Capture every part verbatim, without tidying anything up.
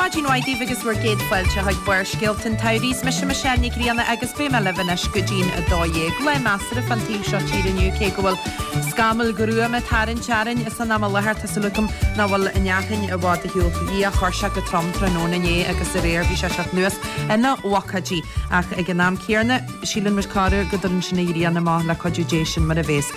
Maidin mhaith daoibh agus bhur gcéad fáilte chuig Barrscéalta an tsamhraidh. Is mise Michelle Ní Ghrianna agus beidh mé libh anois go dtí'n a dó dhéag. Lá measartha fán taobh seo tíre inniu cé go bhfuil scamaill ghruama ag tarraingt orainn san am i láthair tá súil agam nach bhfuil an fhearthainn i bhfad ar shiúl. Bhí a chuir sé go trom tráthnóna inné agus aréir bhí sé teacht anuas ina bhocáidí ach ag an am céanna síleann muid corruair go dtagann sin an ghrian amach le cuidiú Dé sin mar a bhéas.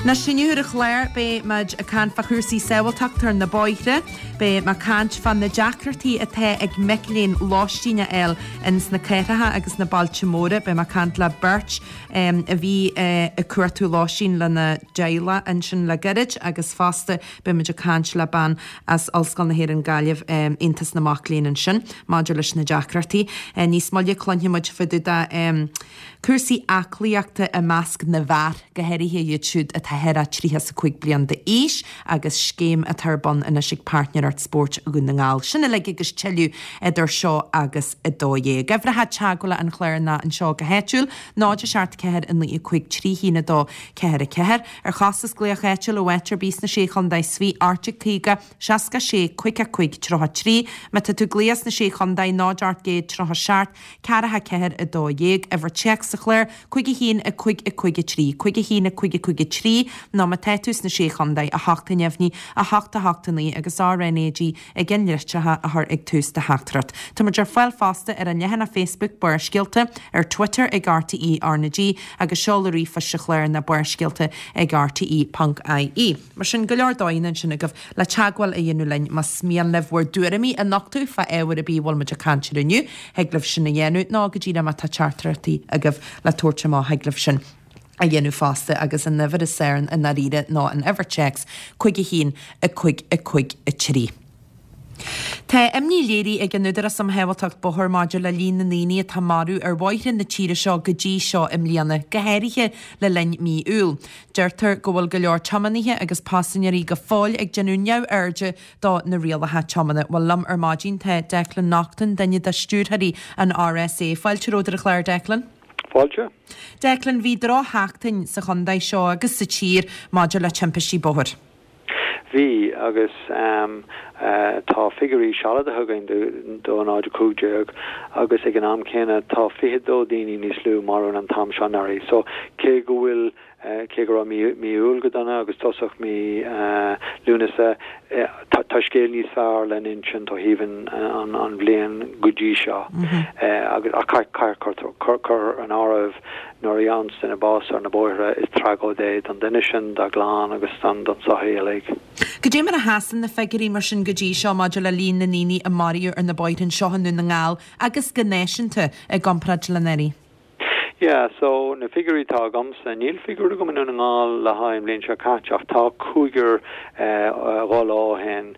Anois inniu ar an chlár beidh muid ag caint fá chúrsaí sábháilteachta ar na bóithre, beidh mé ag caint fá na deacrachtaí atá ag mic léinn lóistín a fháil ins na cathracha agus na bailte móra, beidh mé ag caint le beirt a bhí ag cuartú lóistín lena dteaghlach ansin le gairid agus fosta beidh muid ag caint le bean as Ollscoil na hÉireann Gaillimh Aontas na Mac Léinn ansin maidir leis na deacrachtaí. Níos moille cluinfidh muid fá dtaobh de cúrsaí aclaíochta i measc na bhfear, go háirithe iad siúd atá thar a tríocha is a cúig bliain d'aois agus scéim atá ar bun anois ag Páirtnéireacht Spóirt Dhún na nGall. Sin uilig agus tuilleadh idir seo agus a dó dhéag. Uimhreacha teagmhála an chláir ná anseo go háitiúil, náid a seacht ceathair a naoi a cúig trí haon a dó ceathair a ceathair. Ar chostas glaoch áitiúil ó áit ar bith sna Sé Chontae is Fiche ocht déag caoga seasca sé cúig a cúig tríocha trí. Má tá tú ag glaoch sna Sé Chontae náid ocht gcéad tríocha seacht ceathracha ceathair a dó dhéag. Uimhir téacs sa chlár cúig a haon a cúig a cúig a trí, cúig a haon a cúig a cúig a trí nó má tá tú sna Sé Chontae a hocht a neamhní a hocht a hocht a naoi agus RnaG i gceannlitreacha a chur ag tús do theachtaireacht. Tá muid ar fáil fosta ar an leathanach Facebook Barrscéalta, ar Twitter ag RTÉ RnaG agus seoladh ríomhphoist an chláir ná barrscéalta ag RTE ponc IE. Mar sin go leor dóigheanna ansin agaibh le teagmháil a dhéanamh linn más mian libh bhur dtuairimí a nochtadh fá ábhar ar bith a bhfuil muid ag caint air inniu, thig libh sin a dhéanamh nó go díreach má tá teachtaireachtaí agaibh le tabhairt amach thig libh sin a dhéanamh fosta agus an uimhir is fearr i ndáiríre ná an uimhir téacs cúig a haon a cúig a cúig a trí. Tá imní léirithe ag an Údarás um Shábháilteacht Bóthair maidir le líon na ndaoine atá marbh ar bhóithre na tíre seo go dtí seo i mbliana, go háirithe le linn mí Iúil. Deirtear go bhfuil go leor tiománaithe agus paisinéirí go fóill ag déanamh neamhairde do na rialacha tiomána. Bhuel liom ar maidin tá Declan Naughton, duine de stiúrthóirí an RSA. Fáilte romhat ar an chlár, Declan. Fáilte. Declan, bhí drochsheachtain sa chontae seo agus sa tír maidir le timpistí bóthair. Bhí agus um, uh, tá figiúirí sealadacha againn do náid cúig déag agus ag an am céanna tá fiche dó daoine níos lú marbh an t-am seo anuraidh. So cé go bhfuil uh, cé go raibh mí Iúil go dona agus tosach mí uh, Lúnasa uh, tá scéal níos fearr le insint ó thaobh an, an, an bhliain go dtí seo mm -hmm. uh, agus a chur an áireamh nuair a fhaigheann duine bás ar na bóithre is tragóid é don duine sin dá chlann agus don don sochaí uilig. Goidé mar a sheasann na figiúirí mar sin go dtí seo maidir le líon na ndaoine a maraíodh ar na bóithre seo i nDún na nGall agus go náisiúnta i gcomparáid le anuraidh. Yeah, so na figiúirí atá agamsa níl figiúr agam i nDún na nGall le haghaidh an bhliain seo caite ach tá cúigear dhá lá ó shin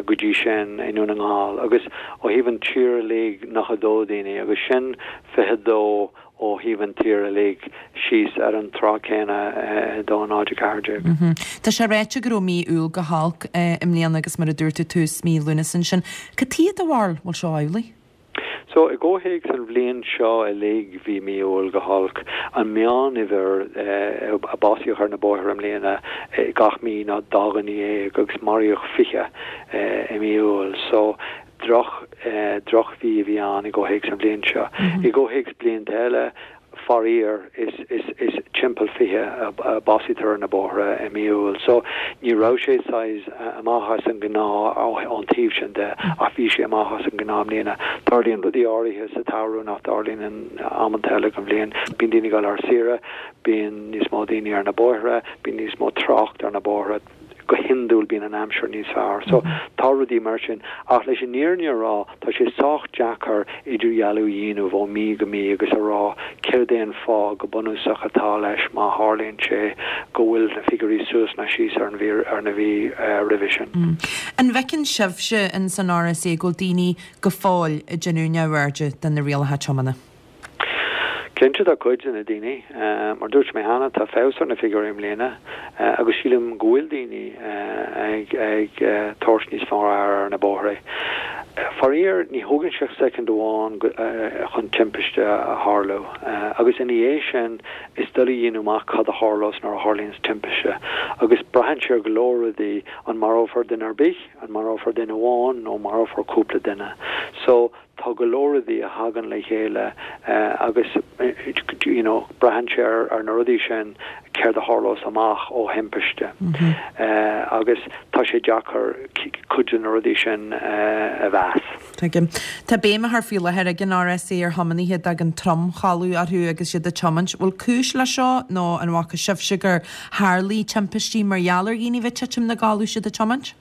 go dtí sin i nDún na nGall agus ó thaobh an tír uilig nócha dó daoine agus sin fiche dó ó thaobh an tír uilig síos ar an tráth céanna do náid ceathair déag. Tá sé ráite go raibh mí Iúil go holc i mbliana agus mar a dúirt tú tús mí Lúnasa ansin. Cad chuige do bharúil bhfuil seo amhlaidh? So i gcomhthéacs an bhliain seo uilig bhí mí Iúil go holc an meánuimhir a básaíodh ar na bóithre i mbliana gach mí ná dá dhuine dhéag agus maraíodh fiche i mí Iúil. So droch drochmhí a bhí ann i gcomhthéacs an bhliain seo. I gcomhthéacs blianta eile faraor is is is timpeall fiche a básaítear ar na bóithre i mí Iúil. So ní raibh sé saghas amach as an ngnáth ón taobh sin de ach bhí sé amach as an ngnáth i mbliana. Tarlaíonn rudaí áirithe sa tsamhradh nach dtarlaíonn in amanta eile den bhliain. Bíonn daoine ag dul ar saoire, bíonn níos mó daoine ar na bóithre, bíonn níos mó trácht ar na bóithre. Go hiondúil bíonn an aimsir níos fearr. So tá rudaí mar sin ach leis an fhírinne a rá tá sé sách deacair idirdhealú a dhéanamh ó mí go mí agus a rá céard é an fáth go bunúsach atá leis má tharlaíonn sé go bhfuil na figiúirí suas nó síos ar an mhí ar na mhí roimhe sin. An bhfeiceann sibhse in san RSA go bhfuil daoine go fóill ag déanamh neamhairde de na rialacha tiomána? Cinnte tá cuid de na daoine, mar dúirt mé cheana, tá feabhas ar na figiúirí i mbliana agus sílim go bhfuil daoine ag ag tabhairt níos fearr aire ar na bóithre. Faraor, ní thógann sé ach soicind amháin chun timpiste a tharlú, agus ina dhiaidh sin is doiligh a dhéanamh amach cad a tharlós nuair a tharlaíonns timpiste, agus braitheann sé ar go leor rudaí, an marófar duine ar bith, an marófar duine amháin nó marófar cúpla duine. So, tá go leor rudaí a thagann le chéile agus you know braitheann sé ar na rudaí sin céard a tharlós amach ó thimpiste agus tá sé deacair cuid de na rudaí sin a mheas. Tuigim. Tá béim á cur faoi láthair ag an RSA ar thiománaithe a dtagann tromchodladh orthu agus iad ag tiomáint. Bhfuil cúis leis seo nó an bhfaca sibhse gur tharlaigh timpistí mar gheall ar dhaoine bheith ag titim 'na gcodladh is iad ag tiomáint?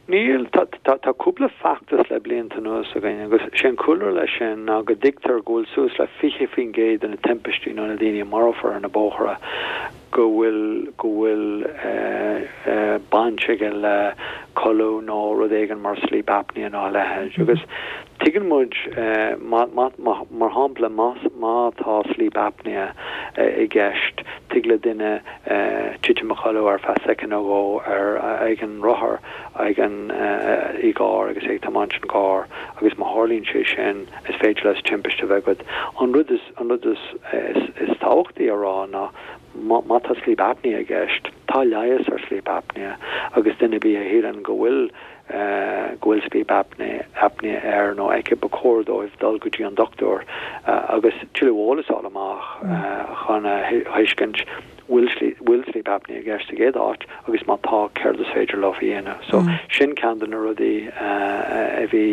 Níl. Tá cúpla feachtas le blianta anuas againn agus sé an cúlra leis sin ná go dtuigtear go bhfuil suas le fiche faoin gcéad de na timpistí nó na daoine a marófar ar na bóithre go bhfuil go bhfuil baint aige le codladh nó rud éigin mar sleep apnea nó a leithéid. Agus tuigeann muid mar shampla má tá sleep apnea i gceist tig le duine titim a chodladh ar feadh soicind nó dhó ar ag an rothar ag an i gcarr agus é ag tiomáint an carr agus má tharlaíonn sé sin is féidir leis timpiste a bheith agat. An rud is an rud is is tábhachtaí a rá ná má tá sleep apnea i gceist, tá leigheas ar sleep apnea agus duine ar bith a shíleann go bhfuil go bhfuil sleep apnea apnea air nó aici ba chóir dóibh dul go dtí an dochtúir agus tuilleadh eolas a fháil amach chun a thuiscint bhfuil bhfuil sleep apnea i gceist sa gcéad áit agus má tá céard is féidir leo a dhéanamh. So sin ceann de na rudaí a bhí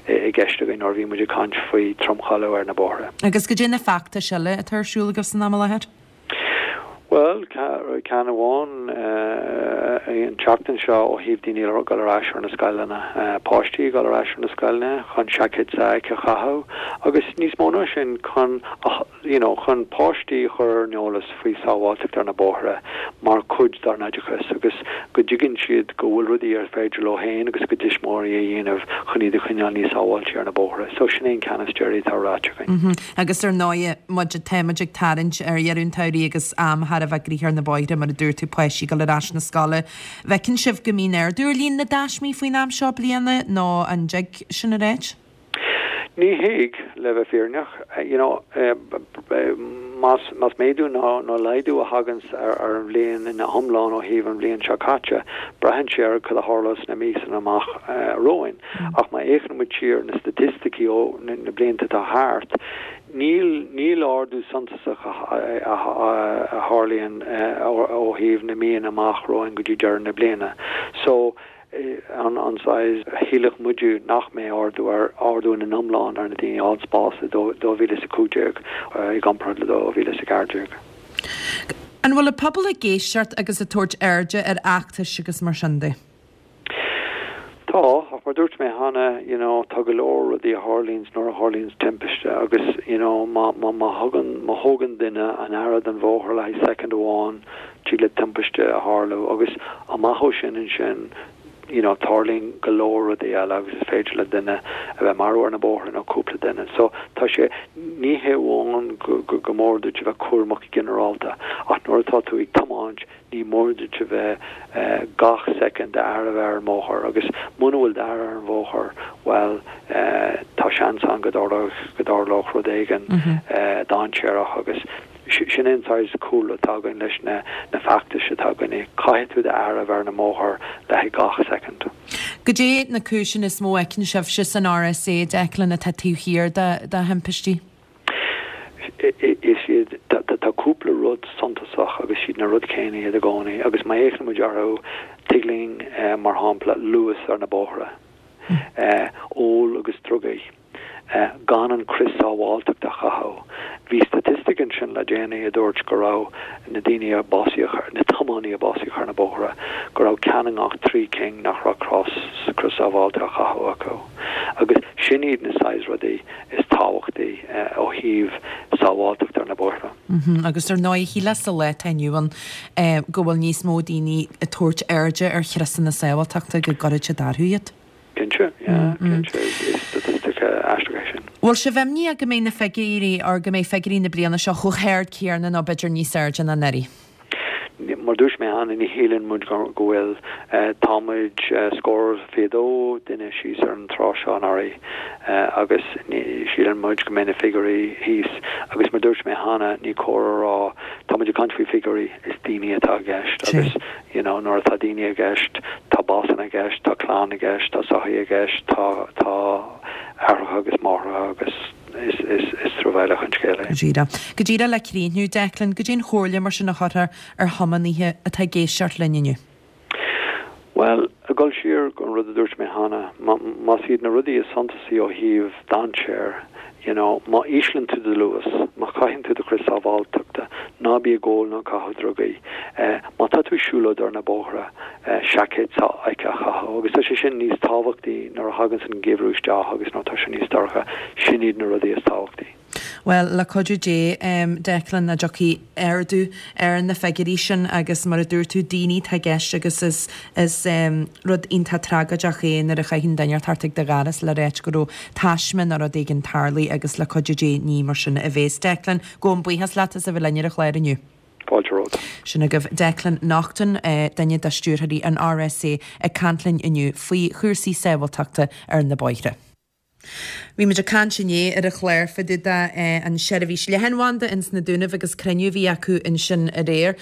i gceist againn nuair a bhí muid ag caint faoi tromchodladh ar na bóithre. Agus goidé na feachtais eile atá ar siúl agaibh san am i láthair? Bhuel, ceann amháin an tseachtain seo ó thaobh daoine ag dul ar ais ar na scoileanna, páistí ag dul ar ais ar na scoileanna chun seaicéid SAIC a chaitheamh agus níos mó ná sin chun you know chun páistí a chur ar an eolas faoi sábháilteacht ar na bóithre mar chuid dár n-oideachas agus go dtuigeann siad go bhfuil rudaí ar féidir leo féin agus a gcuid tuismitheoirí a dhéanamh chun iad a choinneáil níos sábháilte ar na bóithre. So sin é an ceann is deiridh atá ráite againn. Agus ar ndóigh, muid, tá muid ag tarraingt ar dheireadh an tsamhraidh agus am thar a bheith gnoitheach ar na bóithre, mar a dúirt tú, páistí ag dul ar ais na scoile. Bhfeiceann sibh go mbíonn ardú ar líon na dtaismí faoin am seo bliana nó an dtig sin a ráit? Ní thig, le bheith fírinneach. You know, más, más méadú nó, nó laghdú a thaganns ar, ar an bhliain ina hiomlán ó thaobh an bhliain seo caite, braitheann sé ar cad a tharlós sna míosanna amach romhainn. Ach má fhéachann muid siar na staitisticí ó na, na blianta atá thart, níl, níl ardú suntasach a, a, a, a tharlaíonn ó, ó thaobh na míonna amach romhainn go dtí deireadh na bliana. So, an an saghas shílfeadh muide nach mbeidh ardú ar ardú ina iomlán ar na daoine a fháil bás i dó mhíle is a cúig déag i gcomparáid le dó mhíle is a ceathair déag. An bhfuil an pobal ag éisteacht agus ag tabhairt airde ar fheachtais agus mar sin de? Tá, ach mar dúirt mé cheana, you know, tá go leor rudaí a tharlaíonns nuair a tharlaíonns timpiste agus, you know, má má má thugann má thógann duine an aire den bhóthar le haghaidh soicind amháin, tig le timpiste a tharlú agus amach ó sin ansin, you know, tarlaíonn go leor rudaí eile agus is féidir le duine a bheith marbh ar na bóithre nó cúpla duine. So tá sé, ní hé amháin go go go mór duit a bheith cúramach go ginearálta ach nuair atá tú ag tiomáint ní mór duit a bheith eh, gach soicind d'aire a bheith ar an mbóthar agus muna bhfuil d'aire ar an bhóthar, bhuel eh, tá seans ann go dtarlódh go dtarlódh rud éigin eh, dainséarach agus sin an saghas cúlra atá againn leis na na feachtais atá againn. Caithfidh tú d'aire a bheith ar na mbóthar le haghaidh gach soicind. Goidé na cúiseanna is mó a fheiceann sibhse san RSA, Declan, atá taobh thiar de de thimpistí? Is iad tá cúpla rud suntasach agus siad na rud céanna iad i gcónaí agus má fhéachann muid orthu tig linn mar shampla luas ar na bóithre, ól agus drugaí. gan an crios sábháilteachta a chaitheamh. Bhí staitistic ansin le déanaí a dúirt go raibh na daoine a básaíodh, na tiománaí a básaíodh ar na bóithre, go raibh ceann i ngach trí cinn nach raibh crios sábháilte á chaitheamh acu. Agus sin iad na saghas rudaí is tábhachtaí ó thaobh sábháilteacht ar na bóithre. Agus ar ndóigh, shílfeá sa lá atá inniu ann go bhfuil níos mó daoine ag tabhairt airde ar chriosanna sábháilteachta go gcuirfidh siad orthu iad. Cinnte, yeah, cinnte, is staitistic aisteach é sin. Bhfuil sibh imníoch go mbeidh na figiúirí or go mbeidh figiúirí na bliana seo chomh hard céanna nó b'fhéidir níos airde ná anuraidh? Mar dúirt mé cheana, ní shíleann muid go bhfuil. Tá muid scór fiche dó duine síos ar an tráth seo anuraidh agus síleann muid go mbeidh na figiúirí thíos agus mar dúirt mé cheana, ní cóir a rá, tá muid ag caint faoi figiúirí, is daoine atá i gceist agus you know nuair atá daoine i gceist, tá básanna i gceist, tá clann i gceist, tá sochaí i gceist, tá tá aithreacha agus máithreacha agus is is is truamhéalach an scéal é. Go díreach. Go díreach le críochnú, Declan, goidé an chomhairle mar sin a chuirfeá ar thiománaithe atá ag éisteacht linn inniu? Bhuel, ag dul siar go an rud a dúirt mé cheana, más iad na rudaí is suntasaí ó thaobh dainséir, you know, má íslíonn tú do luas, má chaitheann tú do chrios sábháilteachta, ná bí ag ól ná ag caitheamh drugaí, má tá tú ag siúlóid ar na bóithre, seaicéad s'aici a chaitheamh, agus tá sé sin níos tábhachtaí nuair a thaganns an geimhreadh isteach agus nuair atá sé níos dorcha, sin iad na rudaí is tábhachtaí. Bhuel, le cuidiú Dé, Declan, go dtiocfaidh ardú ar na figiúirí sin agus mar a dúirt tú, daoine atá i gceist agus is is rud iontach tragóideach é nuair a chaitheann duine thart ag do dhoras le ráit go raibh taisme nó rud éigin tarlaithe agus le cuidiú Dé ní mar sin a bhéas. Declan, gabhaim buíochas leat as a bheith linn ar an chlár inniu. Fáilte romhat. Sin agaibh Declan Naughton, duine de stiúrthóirí an RSA ag caint linn inniu faoi chúrsaí sábháilteachta ar na bóithre. Bhí muid ag caint inné ar an chlár fá dtaobh de an seirbhís leathanbhanda ins na Dúnaibh agus cruinniú a bhí acu ansin aréir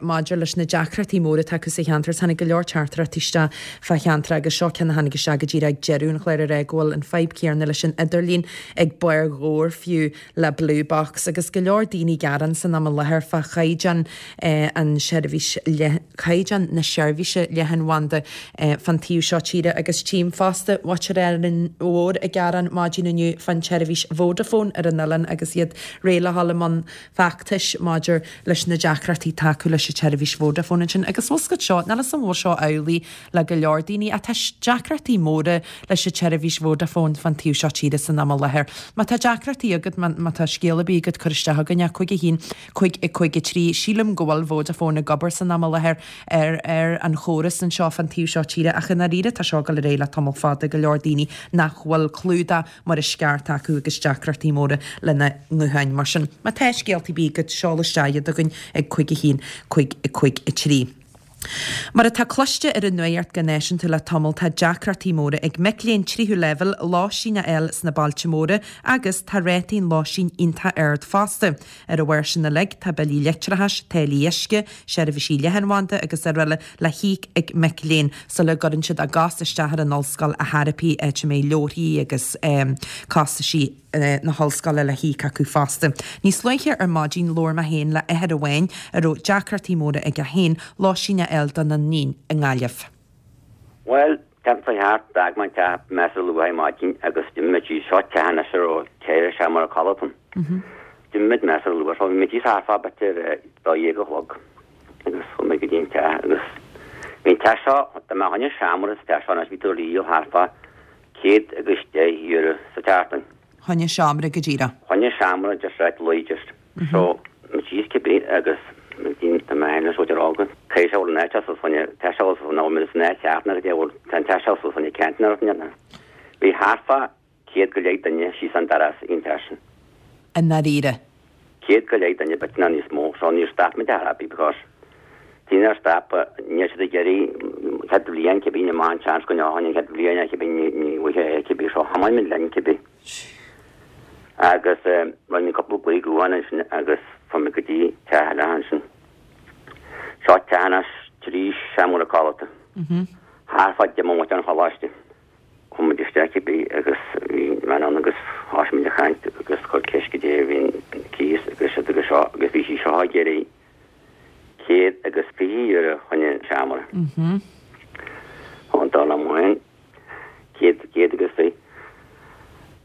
maidir leis na deacrachtaí móra atá acu sa cheantar. Tháinig go leor teachtaireachtaí isteach fá cheantar agus seo ceann a tháinig isteach go díreach ag deireadh an chláir a rá go bhfuil an fadhb céanna leis an idirlíon ag Barr Dhobhair fiú le Blue Box agus go leor daoine ag gearán san am i láthair fá chaighdeán an seirbhís caighdeán na seirbhíse leathanbhanda fán taobh seo tíre agus tchím fosta muintir Árainn Mhór ag gearán maidin inniu fán tseirbhís Vodafone ar an oileán agus iad réidh le dhul i mbun feachtais maidir leis na deacrachtaí atá acu leis an tseirbhís Vodafone ansin. Agus bhfuil 's agat seo, níl 'fhios a'm an bhfuil seo amhlaidh le go leor daoine ach tá deacrachtaí móra leis an tseirbhís Vodafone fán taobh seo tíre san am i láthair. Má tá deacrachtaí agat, má tá scéal ar bith agat cuir isteach chugainn é, cúig a haon, cúig a cúig a trí. Sílim go bhfuil Vodafone ag obair san am i láthair ar ar an chóras anseo fán taobh seo tíre ach i ndáiríre tá seo ag dul ar aghaidh le tamall fada, go leor daoine nach bhfuil clúdach mar is ceart acu agus deacrachtaí móra lena ngutháin. Mar sin, má tá scéalta ar bith agat, seol isteach iad chugainn ag cúig a haon, cúig a cúig a trí. Mar atá cloiste ar an nuacht go náisiúnta le tamall tá deacrachtaí móra ag mic léinn tríú leibhéal lóistín a fháil sna bailte móra agus tá rátaí an lóistín iontach ard fosta. Ar a bharr sin uilig tá billí leictreachais, táillí uisce, seirbhísí leathanbhanda agus araile le híoc ag mic léinn sula gcuireann siad a gcos isteach ar an ollscoil a thairpí áit a mbeidh leabharthaí agus costaisí na hollscoile le híoc acu fosta. Níos luaithe ar maidin labhair mé féin le athair amháin a raibh deacrachtaí móra aige féin lóistín a fháil dona iníon i nGaillimh. Bhuel, timpeall a hocht, d'fhág mé an teach measartha luath ar maidin agus d'imigh muid síos, seo teach anois a raibh ceithre seomra codlata ann. D'imigh muid measartha luath, so bhí muid thíos thart fá b'fhéidir dó dhéag a chlog agus chuaigh muid go dtí an teach agus bhí an teach seo, dá mbeadh choinne seomra sa teach seo anois bhí tú á dhíol thart fá céad agus deich euro sa tseachtain. Choinne seomra go díreach. Choinne seomra just right luí just. So muid síos cibé agus tá mé féin is rá go caithfidh sé bhfuil an áit as choinne tá sé nó bhfuil san áit cheart nó go bhfuil tá an teach seo choinne ceant nó rud Bhí thart fá céad go leith duine síos an doras ón teach sin. I ndáiríre. Céad go leith duine b'fhéidir níos mó so níor stop muid ar bith because níor stop níl siad ag iarraidh chéad bhliain cibé ní maith an seans go ndeachaigh an chéad bhliain cibé ní ní bhfuil cibé so thiomáin muid linn cibé. Agus rinne mé cúpla glao gutháin ansin agus fuair mé go dtí teach eile ansin. Seo teach anois trí seomra codlata. Thart fá deich mbomaite ón choláiste. Chuaigh muid isteach cibé agus bhí bean ann agus thosaigh muid ag caint agus chuir ceist goidé a bhí an cíos agus siad agus seo agus bhí sí seo ag iarraidh céad agus fiche euro chun an seomra. An dá amháin céad céad agus fiche.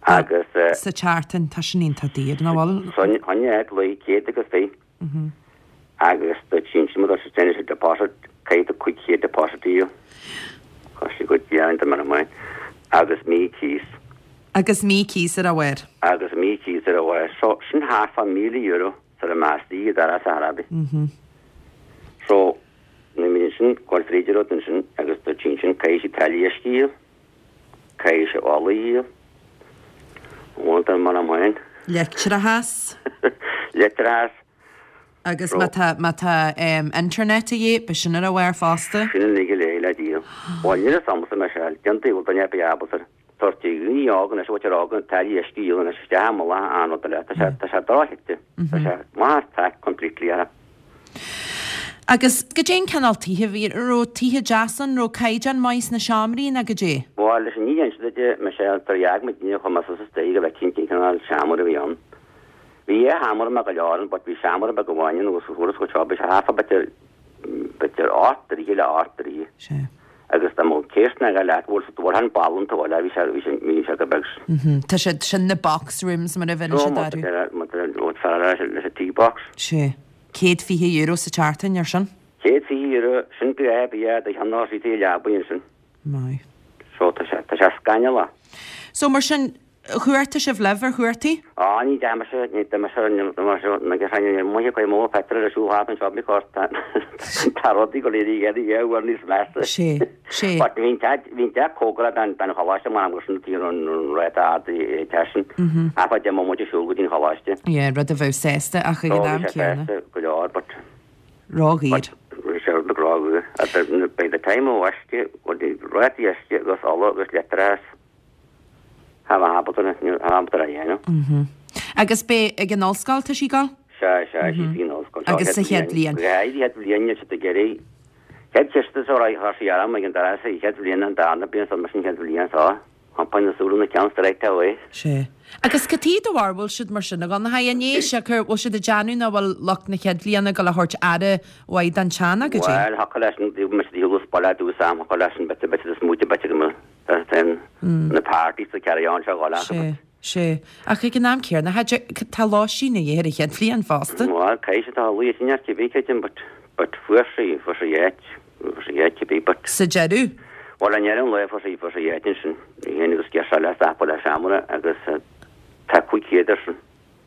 Agus Sa tseachtain tá sin iontach daor nach bhfuil? Choinne áit luí céad agus fiche. Agus do sin sin mar sin sé deposit caithfidh tú cúig chéad deposit a íoc. Tá sé go deimhin mar amháin agus mí cíos. Agus mí cíos ar a bharr. Agus mí cíos ar a bharr. So sin thart fá míle euro sar a meastaí i dara sa Arabi. So ní mí sin go fríidir ansin agus do sin sin caithfidh sí táillí uisce a íoc, caithfidh sí ola a íoc. Bhfuil mar amháin. Leictreachas. Leictreachas. Agus má tá má tá internet a dhíth, beidh sin ar a bharr fosta. Sin uilig go léir le díol. Bhuel, níl a fhios agamsa Michelle, cén taobh a bhfuil duine ar bith ábalta tabhairt do dhaoine óga anois a bhfuil siad óga táillí uisce a dhíol anois isteach i mullach an rud eile. Tá sé tá sé drochite. Tá sé maith as track completely orthu. Agus goidé an cineál tithe a bhí, an raibh tithe deasa ann, an raibh caighdeán maith sna seomraí nó goidé? Bhuel, leis an ní inse duit, Michelle, tar a fhág muid inniu chomh maith suas istigh go bhfeicfinn cén cineál seomra a bhí ann. Bhí dhá sheomra maith go leor ann but bhí seomra beag amháin ann agus fuarthas go seo, bhí sé thart fá b'fhéidir, b'fhéidir ocht dtroithe le ocht dtroithe. Sea. Agus dá mbeadh céist na go leat, bhfuil sa bhfuil an ball an tógáil, bhí sé, bhí sé, bhí sé go beag. Mhm. Tá siad sin na box rooms mar a bheireann Ó, siad má orthu. tá, má tá, má tá fear leis, leis an tea box. Sea. Céad fiche euro sa tseachtain ar sin? Céad fiche euro, sin go é, bhí do cheann ná sí tí leabaidh ansin. Maith. So tá sé, tá sé scannalach. So mar sin, chuartaigh sibh libh ar chuartaigh? Á, ní dheachaigh mise, ní dheachaigh mise, ní dheachaigh mise, na gceann ní mhaith cuid mó petrol ar siúl thart anseo because tá tá rudaí go léir ag éirí dhá uair níos measa. Sé, sé. But bhí an teach, bhí an teach cóngarach don don choláiste mar am sin tí an ráta ard i teach sin. Ach deich mbomaite siúl go dtí an choláiste. Yeah, rud a bheadh sásta ach ag So an bhí am sé céanna. sásta go leor but Ródhaor. but bhí sé rud ródhaor. At the by the time ó uisce, ráta uisce agus ola agus leictreachas Tá mé ábalta ábalta a dhéanamh. Mhm. Agus b'é ag an ollscoil tá sí ag gabháil? Sea, sea, sí faoin ollscoil. Agus sa chéad bhliain. Chéad chéad bhliain níl siad ag iarraidh. Chéad chiste seo ra thá sí arm ag an dara sa chéad bhliain an darna bliain so mar sin chéad bhliain seo. Thapaigh na súile na ceann straight away. Sé. Agus cad chuige do bharr bhfuil siad mar sin a Dhonncha an é siocair bhfuil siad ag déanamh nach bhfuil lucht na chéad bhliana ag gabháil a thabhairt aire mhaith don teach nó goidé? Bhuel, thiocfadh leis an bhí mise ag baile dús am, thiocfadh leis an bit bit is smúite bit go mbeadh na parties a carry on seo dhul acu. Sé, sé. Ach ag an am céanna, tá lóistín a dhíth ar an chéad bhliain fosta. Bhuel, caithfidh sé tá luí sin ar cibé creidim, but but fuair sí fuair sí áit fuair sí áit cibé but Sa deireadh? Bhuel, i ndeireadh an lae fuair sí fuair sí áit ansin. Í féin agus girseach le stop le seomra agus tá cúig chéad air sin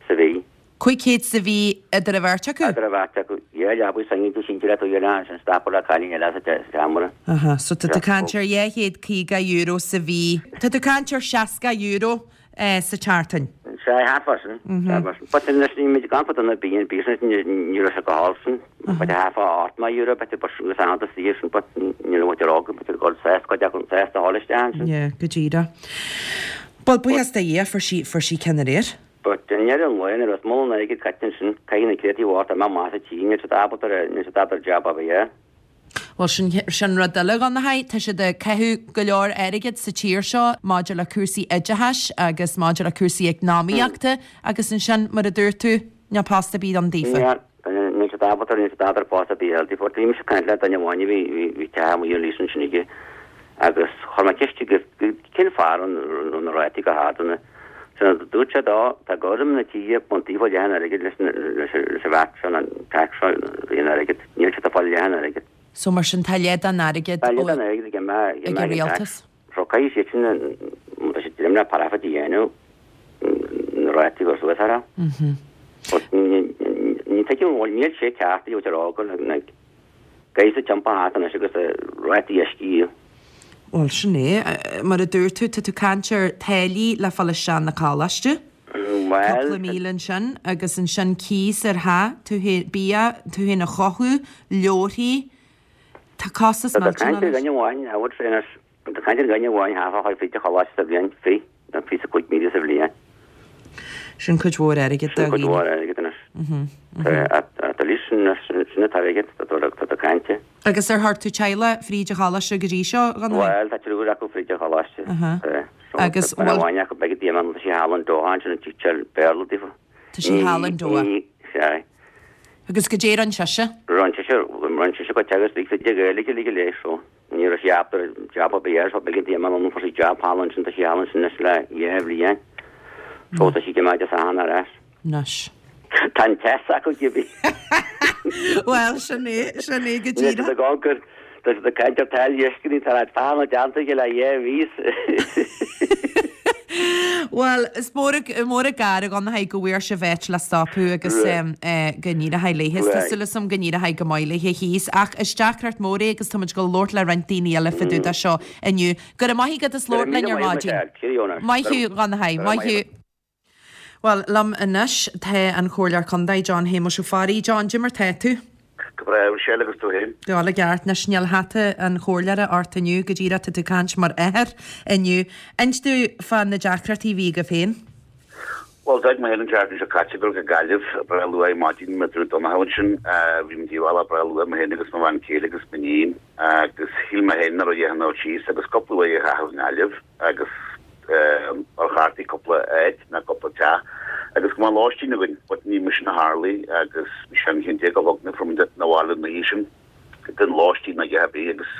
sa mhí. Cúig chéad sa mhí idir an bheirt acu? Idir an bheirt acu. Dhá leabaidh singil sínte le tú dhéanamh ansin stop le cailín eile sa seomra. Aha, so tá tú ag caint ar dhá chéad caoga euro sa mhí. Tá tú ag caint ar seasca euro sa tseachtain. Sea, thart fá sin. Thart fá sin. But anois ní muid gan fad na bíonn business ní raibh sé go hall sin. But thart fá ocht mile euro but but sin agus an saor sin but ní raibh muid ar fhág but go sásta go deacair sásta a fháil isteach ansin. Yeah, go díreach. Bhuel, buíochas do Dhia fuair sí fuair sí ceann aréir. But i ndeireadh an lae nuair is mó an airgead caite ansin, caithfidh na céadtaí bhart a mbeadh maith sa tír, níl siad ábalta ar níl siad ábalta ar jab a bheith. Bhuel sin sin rud eile a Dhonncha, tá siad ag caitheamh go leor airgid sa tír seo maidir le cúrsaí oideachais agus maidir le cúrsaí eacnamaíochta agus ansin mar a dúirt tú, níl post ar bith ann daofa. Níl, níl siad ábalta níl siad ábalta ar post ar bith a fháil daofa. Bhí mise ag caint le duine amháin a bhí bhí bhí teach amuigh ar lease ansin aige agus chuir mé ceist aige cén fáth a raibh na rátaí go hard ann. So dúirt sé dó, tá gorm na tíre buntaí fá leathan airgid leis leis leis an bheart seo an tax seo an airgid, níl siad ag fáil leathan airgid. So mar sin tá leath den airgead Tá leath den airgead ag an ag ag an rialtas. So caithfidh siad sin má tá siad dream le parafa a dhéanamh na rátaí go suas orthu. Mhm. But ní tuigim bhfuil níl sé ceart a rá go na gcaithfidh siad tiompaithe thart anois agus rátaí uisce. Bhuel sin é, mar a dúirt tú, tá tú ag caint ar táillí le fáil isteach na coláiste. Bhuel, Cúpla míle ansin agus ansin cíos ar theach, tú féin bia, tú féin a chothú, leabharthaí. Tá costas Tá millteanach caint ar leis. dhuine amháin, I would say anois, tá caint ar dhuine amháin thart fá fríd an choláiste sa bhliain, fiche, nó fiche cúig míle sa bhliain. Sin cuid mhór airgid Sin do cuid dhaoine. mhór airgid anois. Tá leis sin sin atá airgead, tá tá tá caint. Agus ar chuir tú teaghlach fríd an choláiste go dtí seo, a Dhonncha? Bhuel, tá triúr acu fríd an choláiste. Aha. So, Agus tá bhfuil- amháin acu beidh díomá tá sí thall in Doha ansin ag teacht Béarla daofa. Tá sí thall in Doha. Ní, sea. Agus goidé a rinne sise? Rinne sise, rinne sise go teagasc lig de Ghaeilge le léis so. Ní raibh sí ábalta job ar bith air, so beidh díomá an fuair sí job thall ansin, tá sí thall ansin anois le dhá bhliain. So tá sí go maith as a ar ais. Anois. Tá an test acu gibí. Well, sin é, sin é go Ní díreach. tá gongur Tá siad ag caint ar táillí uisce ní tá fána déanta aige le dhá mhí. Well, is mór mór an gar a Dhonncha go bhfuair sibh áit le stopadh agus Right. eh, go n-éireoidh léi. Tá Right. súil agam go n-éireoidh go maith léi thíos ach is deacracht mhór é agus táimid ag labhairt le roinnt daoine eile fá dtaobh de seo inniu. Go raibh maith agat as labhairt linn ar maidin. Maith thú Dhonncha, maith thú. Bhuel, liom anois tá an Comhairleoir Contae John Shéamuis Ó Fearraigh. John, goidé mar tá tú? Go breá Michelle agus tú féin. Go hálainn ceart anois níl hata an chomhairleora ort inniu go díreach tá tú ag caint mar athair inniu. Inis domh fá na deacrachtaí a bhí agaibh féin. Well d'fhág mé féin an tseachtain seo caite dul go Gaillimh breá luath ar maidin mar a dúirt Donncha ansin bhí muid ar bhealach breá luath mé féin agus mo bhean chéile agus m'iníon agus shíl mé féin nach raibh a dhath dul síos agus cúpla uair a chaitheamh i nGaillimh agus ar chartaí cúpla áit ná cúpla teach agus go mbeadh lóistín againn but ní mar sin a tharlaigh agus bhí sé an haon déag a chlog nuair a fuair muid na bhaile an oíche sin gan lóistín ná a dhath ar bith agus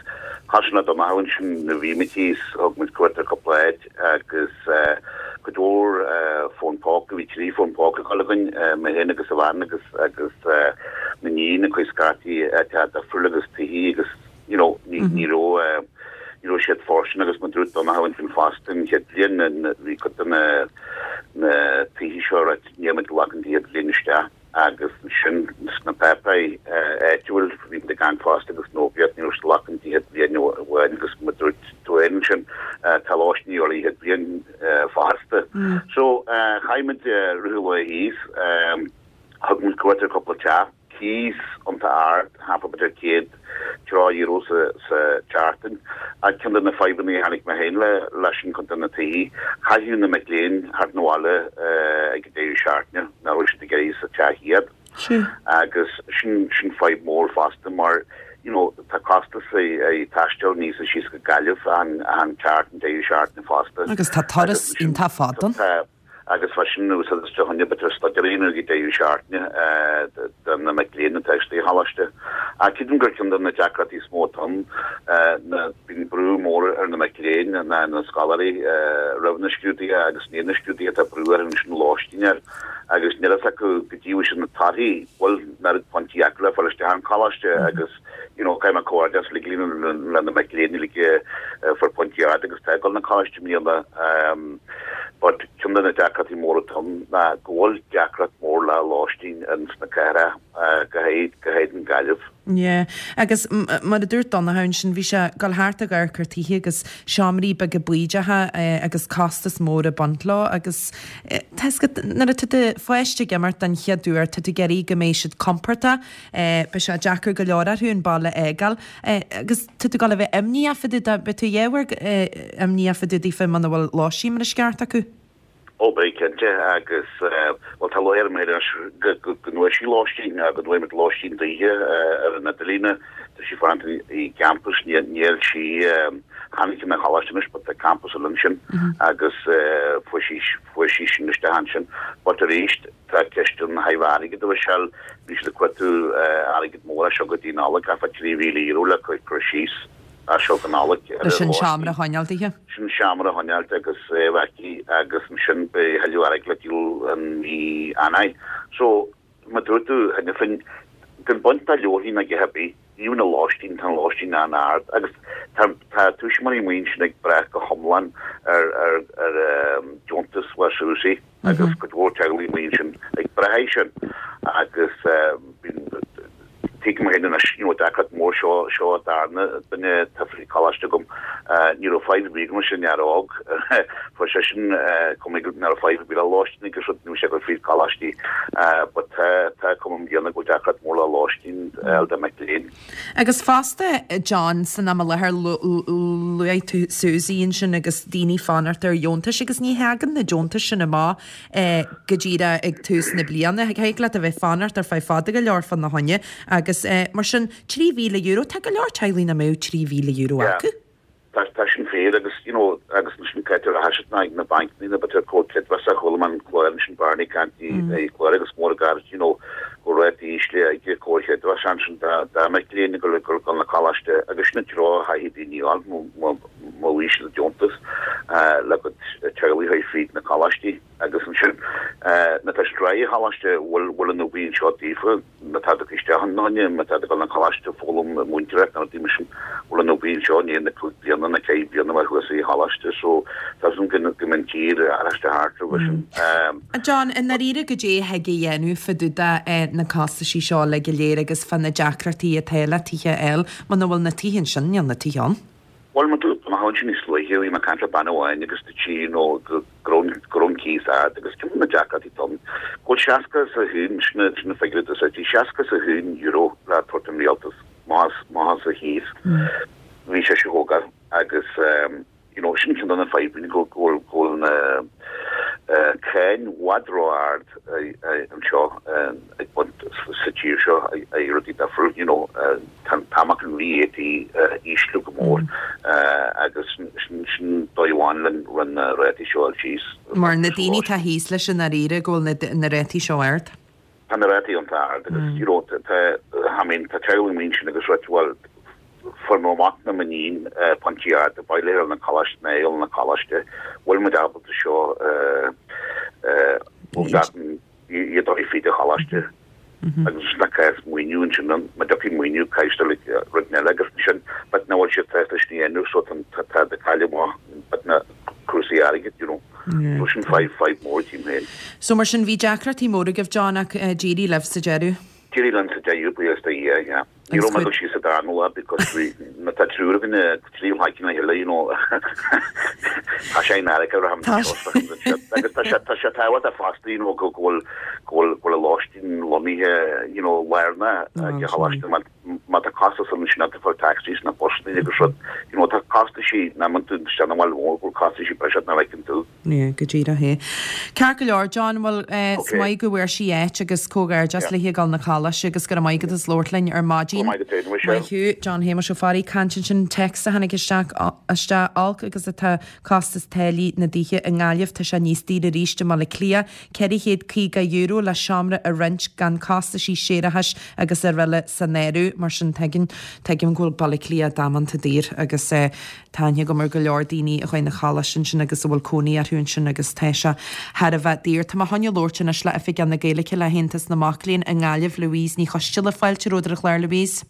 cosúil le Donncha ansin nuair a bhí muid thíos thug muid cuairt ar cúpla áit agus cuid mhór fón póca bhí trí fón póca ag dul againn mé féin agus a bhean agus agus m'iníon ag cuid scaití áiteacha difriúla agus tithí agus you know ní ní raibh ní raibh siad fóirsteanach agus mar a dúirt Donncha ansin fosta an chéad bhliain bhí cuid de na na tithí seo a níl muid ag glacadh an chéad bhliain isteach agus sin sna páipéirí áitiúil bhí muid ag caint fosta agus nó bhíod ní raibh siad ag glacadh an chéad bhliain amháin agus mar a dúirt tú féin ansin tá lóistín ar an chéad bhliain fosta. So chaith muid rith an lae thíos thug muid cuairt ar cúpla teach cíos iontach ard thart fá b'fhéidir céad tríocha euro sa sa tseachtain. Ach ceann de na fadhbanna a tháinig mé féin le leis an cuid de na tithí, chaithfeadh na mic léinn theacht 'na bhaile ag an deireadh seachtaine nach raibh siad ag iarraidh sa teach iad. Agus sin sin fadhb mór fosta mar you know, tá costas ag taisteal aníos is síos go Gaillimh an an tseachtain deireadh seachtaine fosta. Agus tá turas iontach fada ann. Agus freisin úsáid isteach an b'fhéidir staidéar a dhéanamh ag deireadh seachtaine do na mic léinn atá istigh sa choláiste. Ach creidim gur ceann de na deacrachtaí is mó atá ann ná bíonn brú mór ar na mic léinn ná na scoláirí roimh na scrúduithe agus i ndiaidh na scrúduithe tá brú orthu ansin lóistín a fháil agus níl a fhios acu go dtí bhfuil siad na torthaí bhfuil an oiread pointí acu le fáil isteach an choláiste agus you know caithfidh mé comhghairdeas le le na mic léinn uilig a fuair pointí ard agus tá ag dul na coláiste i mbliana but ceann de na deacrachtaí móra atá ann ná go bhfuil deacracht mór le lóistín ins na cathracha go háirid go háirid in Gaillimh. Yeah. Agus mar a dúirt Donncha ansin bhí sé ag dul thart ag amharc ar tithe agus seomraí beaga baoideacha agus costas mór ag baint leo agus tá a fhios agat nuair atá do pháiste ag imirt den chéad uair tá tú ag iarraidh go mbeidh siad compordach beidh sé deacair go leor orthu an baile a fhágáil agus tá tú ag dul a bheith imníoch fá dtaobh de beidh tú dhá uair imníoch fá dtaobh daofa muna bhfuil lóistín mar is ceart acu. Ó beidh cinnte agus bhuel tá lúcháir orm anois go go bhfuair sí lóistín go bhfuair muid lóistín daoithe ar an idirlíon tá sí fanacht i gcampus níl sí tháinig ina choláiste anois but tá campus eile ansin agus fuair sí fuair sí sin isteach ansin but arís tá ceist an thaobh airgid a Mhichelle bhí siad ag cuartú airgead mór as seo go dtí Nollaig thart fá trí mhíle euro le cur síos as seo go Nollaig ar Leis an seomra a choinneáil daoithe. Sin seomra a choinneáil agus é a bheith aici agus ansin beidh a thuilleadh airgid le díol an mhí Eanáir. So mar a dúirt tú cheana féin gan baint dá leabharthaí ná a dhath ar bith, even an lóistín, tá an lóistín an-ard agus tá tá tuismitheoirí amuigh ansin ag brath go hiomlán ar ar ar deontas SUSI agus cuid mhór teaghlaigh amuigh ansin ag brath air sin agus bíonn Tuigim féin anois, you know, deacracht mór seo, seo darna duine atá fríd coláiste agam. Ní raibh fadhb ar bith agam leis an fhear óg. Fuair seisean cuma nach raibh fadhb ar bith le lóistín agus rud, ní raibh sé ag dul fríd coláistí. But tá, tá cuma i mbliana go bhfuil deacracht mór le lóistín a fháil do mic léinn. Agus fosta, John, san am i láthair, luaigh tú SUSI ansin agus daoine fanacht ar dheontais agus ní thagann na deontais sin amach go díreach ag tús na bliana. Thig leat a bheith fanacht ar feadh fada go leor fána choinne agus mar sin trí mhíle euro, tá go leor teaghlaigh nach mbeadh trí mhíle euro acu. Tá tá sin fíor agus you know agus ansin caitear a thaispeáint ag na bancanna na b'fhéidir comhar creidmheasa chuala mé an clár ansin Barney ag caint i gclár agus mór gairid you know go raibh rátaí ísle ag comhar creidmheasa ansin dá dá mic léinn ag dul ag dul na coláiste agus sin an treo a chaithfidh daoine a fháil má má bhí siad deontas le go teaghlaigh a fríd na coláistí agus ansin má tá siad raghaidh choláiste bhfuil bhfuil an obair anseo daofa má tá tú isteach in áine má tá tú ag dul na coláiste foghlaim múinteoireacht nó rudaí mar sin bhfuil an obair anseo i ndiaidh na cúig bliana na ceithre bliana mar thuas i choláiste so tá san go go mbíonn tír araisteach thart roimhe sin. John, i ndáiríre goidé a thig a dhéanamh fá dtaobh de na costaisí seo uilig go léir agus fá na deacrachtaí atá le tithe a fháil muna bhfuil na tithe ansin níl na tithe ann. Bhuel mar dúirt amach ansin níos luaithe, bhí mé ag caint le bean amháin agus dúirt sí you know go raibh go raibh an cíos ard agus cén na deacrachtaí atá ann, go bhfuil seasca is a haon, sin sin na figiúirí a d'úsáid sí, seasca is a haon euro le tabhairt don rialtas más más a chíos. Bhí sé seo thógáil agus you know sin ceann de na fadhbanna go go bhfuil go bhfuil na cáin i bhfad ró-ard anseo ag baint sa tír seo ag rudaí difriúil you know tá an t-am an VAT ísliú go mór agus sin sin dóigh amháin le rinne na rátaí seo a fháil síos. Mar na daoine atá thíos leis i ndáiríre go bhfuil na rátaí seo ard. Tá na rátaí iontach ard agus you know tá I mean tá teaghlaigh amuigh ansin agus rud bhuel fuair mo mhac nó m'iníon pointí arda, ba mhaith leo na coláiste nó ag na coláiste, bhfuil muid ábalta seo iad a fhí de choláiste. Agus na cás maoiniú ansin má dtiocfaidh maoiniú caithfidh rud eile agus sin but na bhfuil siad sásta sin a dhéanamh so tá tá de cailleadh but na cúrsaí airgid you know. So sin fadhb fadhb mór tím féin. So mar sin bhí deacrachtaí móra agaibh John ach d'éirigh libh sa deireadh. D'éirigh linn sa deireadh buíochas do Dhia, yeah. Ní raibh mé ag dul síos sa darna lá because bhí má tá triúr againn trí haiceanna le chéile you know tá sé in America raibh agus tá sé tá sé tábhachtach fosta you know go go bhfuil go bhfuil go bhfuil an lóistín lonnaithe you know lárnach ag choláiste má má tá costas ann sin tá fáil taxis na busanna agus rud you know tá costaisí na man tú isteach na bhfuil mhór go bhfuil costaisí breise nach bhfeiceann tú. Yeah, go díreach é. Ceart go leor John bhuel is maith go bhfuair sí áit agus comhghairdeas léi ag dul na coláiste agus go raibh maith agat as labhairt linn ar maidin. Go maith go Michelle. Maith thú John Shéamuis Ó Fearraigh caint ansin text a tháinig isteach isteach olc agus atá costas táillí na dtithe i nGaillimh tá sé níos daoire arís i mBaile Átha Cliath ceithre chéad caoga euro le seomra a roinnt gan costaisí séarachais agus araile san áireamh mar sin tuigeann tuigim go bhfuil Baile Átha Cliath damanta daor agus eh, tá aithne agam ar go leor daoine a chuaigh na coláiste ansin agus a bhfuil cónaí orthu ansin agus tá sé thar a bheith daor. Tá mé chun labhairt anois le Oifigeach na Gaeilge le hAontas na Mac Léinn i nGaillimh Louise Ní Choisdealbha fáilte romhat ar an chlár Louise.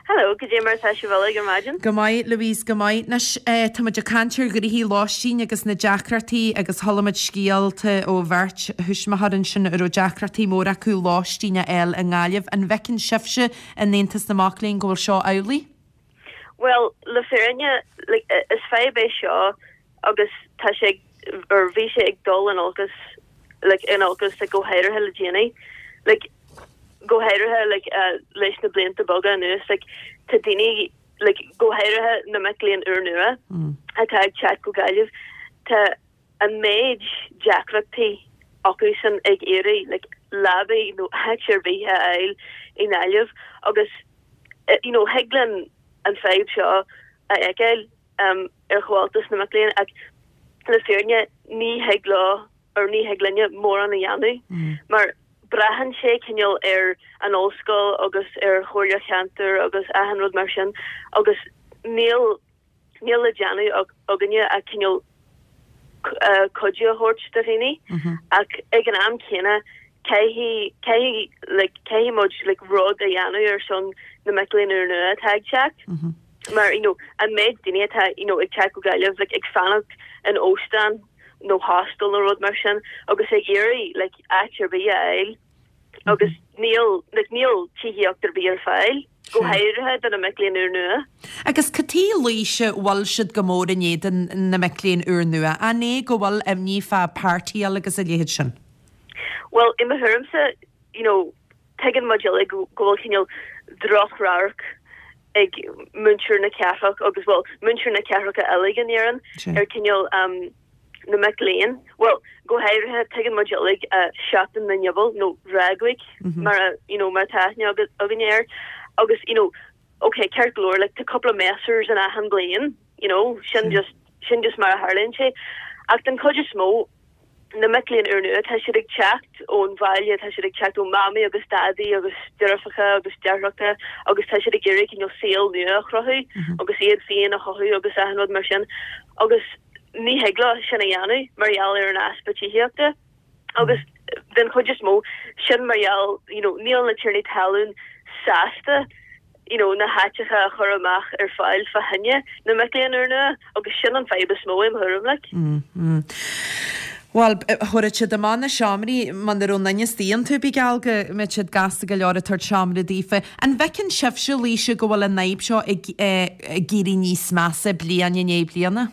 Hello, goidé mar atá sibh uilig ar maidin. Go maith Louise go maith Anois eh, tá muid ag caint ar ghnoithí lóistín agus na deacrachtaí agus chuala muid scéalta ó bheirt thuismitheoir ansin a raibh deacrachtaí mór acu lóistín a fháil i nGaillimh. An bhfeiceann sibhse in Aontas na Mac Léinn go bhfuil seo amhlaidh? Well, le fírinne like, is fadhb é seo agus tá sé or bhí sé ag dul in olcas like, in olcas like, go háirithe le déanaí. Like, go háirithe like, uh, leis na blianta beaga anuas like, tá daoine like, go háirithe na mic léinn úrnua Mm. atá ag teacht go Gaillimh tá an méid deacrachtaí acu san ag iarraidh like, leaba nó áit ar bith a fháil i nGaillimh agus uh, you know, thig linn an fadhb seo a fheiceáil um, ar Chomhaltas na Mac Léinn ach le fírinne ní thig leo or ní thig linne mórán a dhéanamh Mm. mar braitheann sé cineál ar an ollscoil agus ar chomhairle cheantair agus achan rud mar sin agus níl níl le déanamh againne a cineál uh, cuidiú a thabhairt do dhaoine Mhm. ach ag an am céanna caithfidh caithfidh like, caithfidh muid like, rud a dhéanamh ar son na mic léinn úrnua atá ag teacht. Mhm. Mar you know, an méid daoine atá you know, ag teacht go Gaillimh like, ag fanacht in óstán nó hostel nó rud mar sin agus ag iarraidh like, áit ar bith a fháil agus níl like, níl tithíocht ar bith ar fáil go Sure. háirithe do na mic léinn úrnua. Agus cad chuige a bhfuil siad go mór in éadan na mic léinn úrnua, an é go bhfuil imní fá páirtíáil agus a leithéid sin. Well i mo thuairimse you know, tuigeann muid uilig go go bhfuil cineál drochradharc ag muintir na cathrach agus well muintir na cathracha eile in Éirinn Sure. ar cineál um, na mic léinn. Well go háirithe tuigeann muid uilig uh, Seachtain na nGiobal nó Rag Week mar a, you know, mar tá aithne againn air agus you know, okay ceart go leor like tá couple of messers in achan bliain you know, sin just sin just mar a tharlaíonn sé ach den chuid is mó na mic léinn úrnua tá siad ag teacht ón bhaile tá siad ag teacht ó mamaí agus daidí agus deirfiúracha agus deartháireacha agus tá siad ag iarraidh cineál saol nua a chruthú agus iad féin a chothú agus achan rud mar sin agus ní thig leo sin a dhéanamh mar gheall ar an easpa tithíochta agus den chuid is mó sin mar gheall you know, níl na tiarnaí talún sásta you know, na háiteacha a chur amach ar fáil fá choinne na mic léinn úrnua agus sin an fadhb is mó im thuairim like. Mm, mm. Bhuel, thabharfadh siad amach na seomraí muna raibh aon duine istigh iontu, bí geall go mbeadh siad gasta go leor ag tabhairt seomra daofa. An bhfeiceann sibhse, Laoise, go bhfuil an fhadhb seo ag ag éirí níos measa bliain i ndiaidh bliana?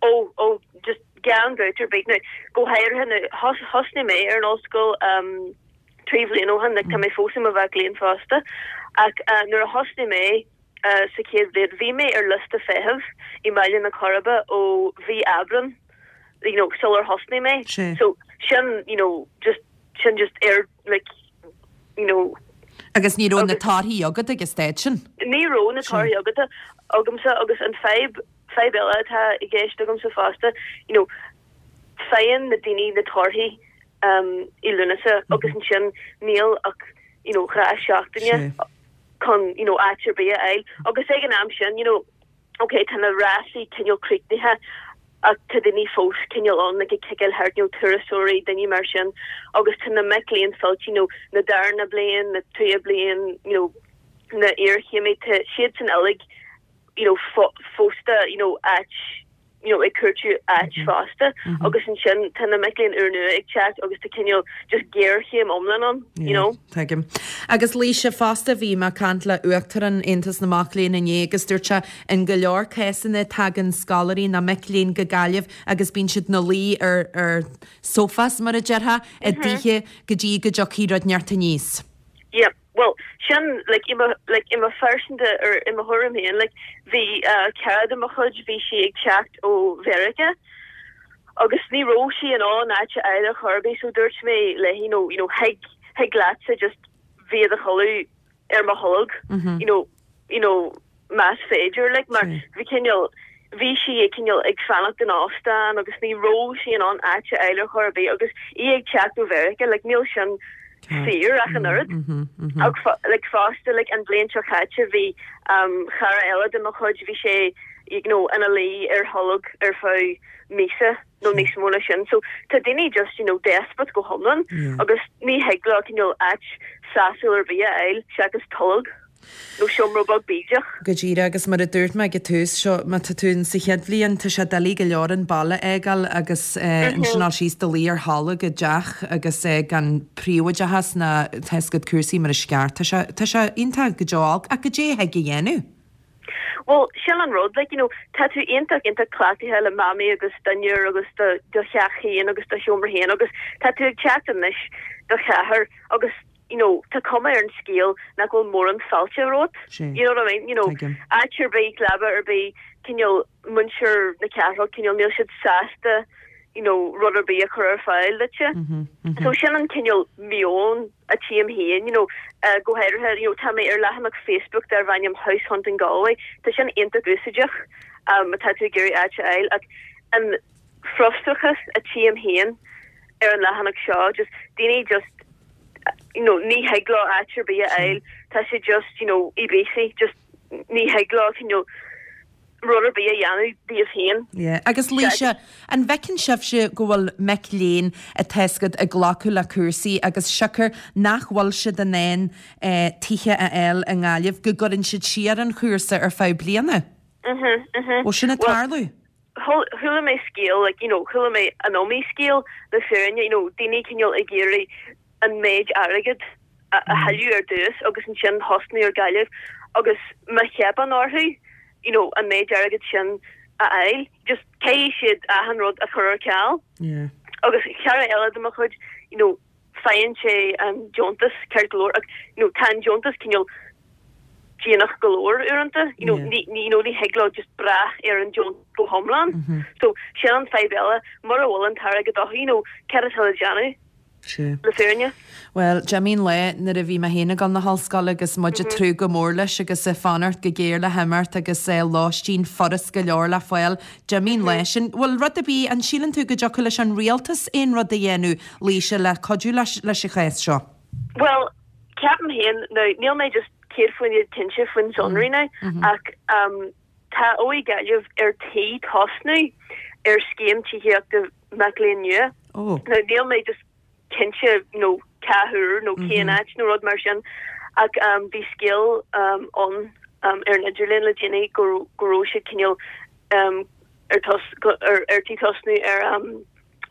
Ó, ó, just gan dabht ar bith. Now, go háirithe now, thosnaigh mé ar an ollscoil trí bhliain ó shin, like tá mé fós i mo mhac léinn fosta, ach nuair a thosnaigh mé sa chéad bhliain, bhí mé ar liosta feithimh i mBaile na Coiribe ó mhí Aibreán. you know, sular thosnaigh mé. Sea. So, sin, you know, just, sin just ar, like, you know. Agus ní raibh na torthaí agat ag an staid sin? Ní raibh na torthaí agat, agamsa agus an fadhb, fadhb eile atá i gceist agamsa fosta, you know, faigheann na daoine na torthaí um, i Lúnasa agus ansin níl ach, you know, dhá seachtaine chun, you know, áit ar bith a fháil. Agus ag an am sin, you know, ok, tá na rásaí cineál críochnaithe ach tá daoine fós cineál ann like ag ciceáil thart, you know, turasóirí, daoine mar sin agus tá na mic léinn fillte, you know, na darna bliain, na tríú bliain, you know, na iarchéimí, tá siadsan uilig, you know, fosta, you know, áit, you know, ag cuartú áit fosta agus ansin tá na mic léinn úrnua ag teacht agus tá cineál just géarchéim iomlán ann, you know. Tuigim. Agus Laoise, fosta bhí mé ag caint le Uachtarán Aontas na Mac Léinn inné agus dúirt sé in go leor cásanna tagann scoláirí nó mic léinn go Gaillimh agus bíonn siad ina luí ar ar sofas mar a déarfá i dtithe go dtí go dtiocfaidh rud inteacht aníos. Yep. Bhuel, sin, like, i mo, like, i mo phearsanta, or i mo thuairim féin, like, bhí uh, cara de mo chuid, bhí sí ag teacht ó Mheiriceá, agus ní raibh sí in ann áit a fháil ar chor ar bith, so dúirt mé léi, you know, you know, thig, thig leatsa just bheith i do chodladh ar mo tholg, you know, you know, más féidir, like, mar bhí cineál, bhí sí ag cineál ag fanacht in óstán agus ní raibh sí in ann áit a fháil ar chor ar bith agus í ag teacht ó Mheiriceá, like, níl sin saor ach an oiread. Ach like, fosta, like, an bhliain seo caite bhí um, cara eile de mo chuid, bhí sé you know, ina luí ar tholg ar feadh míosa nó níos mó ná sin. So tá daoine just, you know, desperate go hiomlán agus ní thig leo cineál áit sásúil ar bith a fháil seachas tolg. Nó seomra beag bídeach. Go díreach, agus mar a dúirt mé ag an tús seo, má tá tú in sa chéad bhliain, tá sé doiligh go leor an baile a fhágáil agus ansin dul síos i do luí ar tholg i dteach agus gan príobháideachas ná tá a fhios agat cúrsaí mar is ceart. Tá sé, tá sé iontach go deo olc, ach goidé a thig a dhéanamh? Bhuel, sin an rud, like, you know, tá tú iontach, iontach cleachtaithe le mamaí agus dinnéar agus do, do theach féin agus do sheomra féin agus tá tú ag teacht anois do chathair agus you know, tá cuma ar an scéal nach bhfuil mórán fáilte romhat. You know what I mean? You know, áit ar bith, leaba ar bith, cineál muintir na cathrach, cineál níl siad sásta, you know, rud ar bith a chur ar fáil duitse. Mm -hmm. So sin an cineál meon a tchím féin, you know, uh, go háirithe, you know, tá mé ar leathanach Facebook darb ainm House Hunting Galway, tá sin iontach úsáideach um, tá tú ag iarraidh áit a fháil ach an frustrachas a tchím féin ar an leathanach seo, just daoine just you know, ní thig leo áit ar bith a fháil, tá sé just, you know, i bpíosaí, just ní thig leo you know, rud ar bith a dhéanamh díobh féin. Yeah. Agus Laoise, an bhfeiceann sibhse go bhfuil mic léinn atá ag glacadh le cúrsaí agus siocair nach bhfuil siad in ann eh, tithe a fháil i nGaillimh go gcuireann siad siar an chúrsa ar feadh bliana? Mhm, mhm. Bhfuil sin ag tarlú? Chuala mé scéal, like, you know, chuala mé an iomaí scéal le fírinne, you know, daoine cineál ag iarraidh an méid airgead a thuilleamh ar dtús agus ansin thosnú ar Gaillimh agus má theipeann orthu you know an méid airgead sin a fháil just caithfidh siad achan rud a chur ar ceal. Yeah. Agus cara eile de mo chuid you know faigheann sé an deontas ceart go leor ach you know tá an deontas cineál déanach go leor uaireanta you know Yeah. ní ní you know ní thig leo just brath ar an deontas go hiomlán. Mm -hmm. So sin an fadhb eile mura bhfuil an t-airgead acu you know cad atá le déanamh? Sea. Le fírinne. Bhuel, d'imigh an lá nuair a bhí mé féin ag dul na hollscoile agus muid ag tnúth go mór leis agus ag fanacht go géar le himeacht agus lóistín furast go leor le fáil. D'imigh an lá sin. Bhfuil rud ar bith, an síleann tú go dtiocfadh leis an rialtas aon rud a dhéanamh, Laoise, le cuidiú leis leis an chás seo? Bhuel, ceapaim féin, now níl mé just céad faoin gcéad cinnte faoin sonraí now, ach tá OÉ Gaillimh ar tí tosnú ar scéim tithíochta mac léinn nua. Oh. Now níl mé just cinnte you know cá huair nó cén áit nó rud mar sin ach um, bhí scéal um, ann um, ar an idirlíon le déanaí go go raibh siad cineál um, ar tos, go, ar, ar tí tosnú ar um,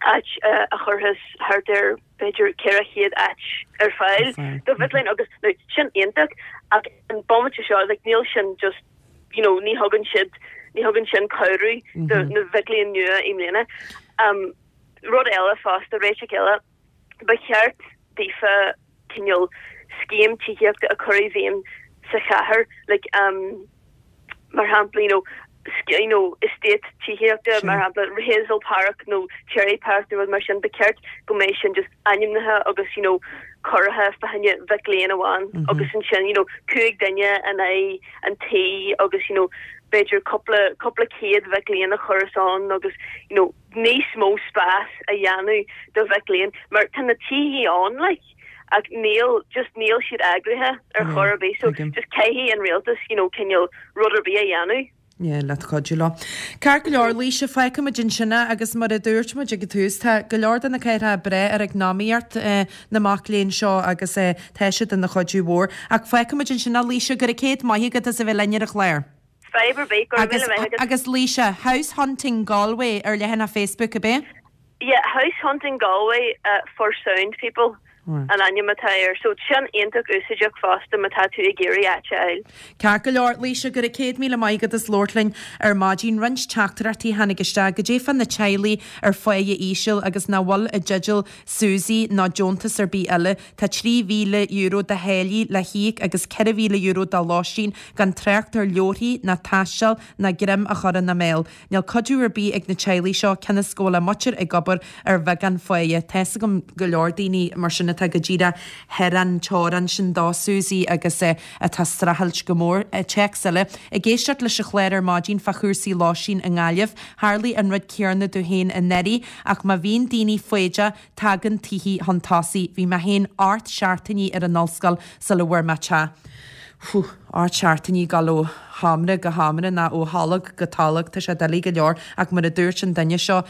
áit a chuirfeas thart ar b'fhéidir ceithre chéad áit ar fáil do mhic léinn agus now sin iontach ach an bomaite seo like níl sin just you know ní thugann siad ní thugann sin cabhrú do na mhic léinn nua i mbliana. Um, rud eile fosta réiteach eile ba cheart daofa cineál scéim tithíochta a chur i bhfeidhm sa chathair like um mar shampla you know you know estate tithíochta mar shampla Hazel Park nó Cherry Park nó rud mar sin ba cheart go mbeidh sin just ainmnithe agus you know curtha fá choinne mhic léinn amháin mm -hmm. agus ansin you know cúig duine in aghaidh an tí agus you know b'fhéidir cúpla cúpla céad mhic léinn a chur ann agus you know níos mó spás a dhéanamh do mhic léinn mar tá na tithe ann like ach níl just níl siad eagraithe ar chor ar bith so just caithfidh an rialtas you know cineál rud ar bith a dhéanamh. Yeah, le cuidiú leo. Ceart go leor Laoise fágfaimid ansin é agus mar a dúirt muid ag an tús tá go leor de na cathracha breá ar eacnamaíocht eh, na mac léinn seo agus eh, tá siad ina chuidiú mhór. Ach fágfaimid ansin é Laoise go raibh céad maith agat as a bheith linn ar an chlár. Fadhb ar bith go Agus, agus Laoise, House Hunting Galway ar leathanach Facebook ab é? Yeah, House Hunting Galway uh, for sound people. An ainm atá air, so sin iontach úsáideach fosta má tá tú ag iarraidh áit a fháil. Ceart go leor Laoise go raibh céad míle maith agat as labhairt linn ar maidin roinnt teachtaireachtaí tháinig isteach goidé fá na teaghlaigh ar pháighe íseal agus nach bhfuil i dteideal SUSI ná deontas ar bith eile. Tá trí mhíle euro de tháillí le híoc agus ceithre mhíle euro de lóistín gan trácht ar leabharthaí ná taisteal ná greim a chur ina mbéal. Níl cuidiú ar bith ag na teaghlaigh seo cionn is go bhfuil a muintir ag obair ar bheagán pháighe. Tá a fhios agam go leor daoine mar sin atá go díreach thar an teorainn sin do SUSI agus eh, atá streachailt go mór. Eh, téacs eile ag éisteacht leis an chlár ar maidin fá chúrsaí lóistín i nGaillimh, Tharla an rud céanna domh féin anuraidh ach má bhíonn daoine foighdeach tagann tithe chun tosaigh, bhí mé féin ocht seachtainí ar an ollscoil sula bhfuair mé teach. Fú ocht seachtainí dul ó sheomra go seomra ná ó tholg go tolg tá sé doiligh go leor ach mar a dúirt an duine seo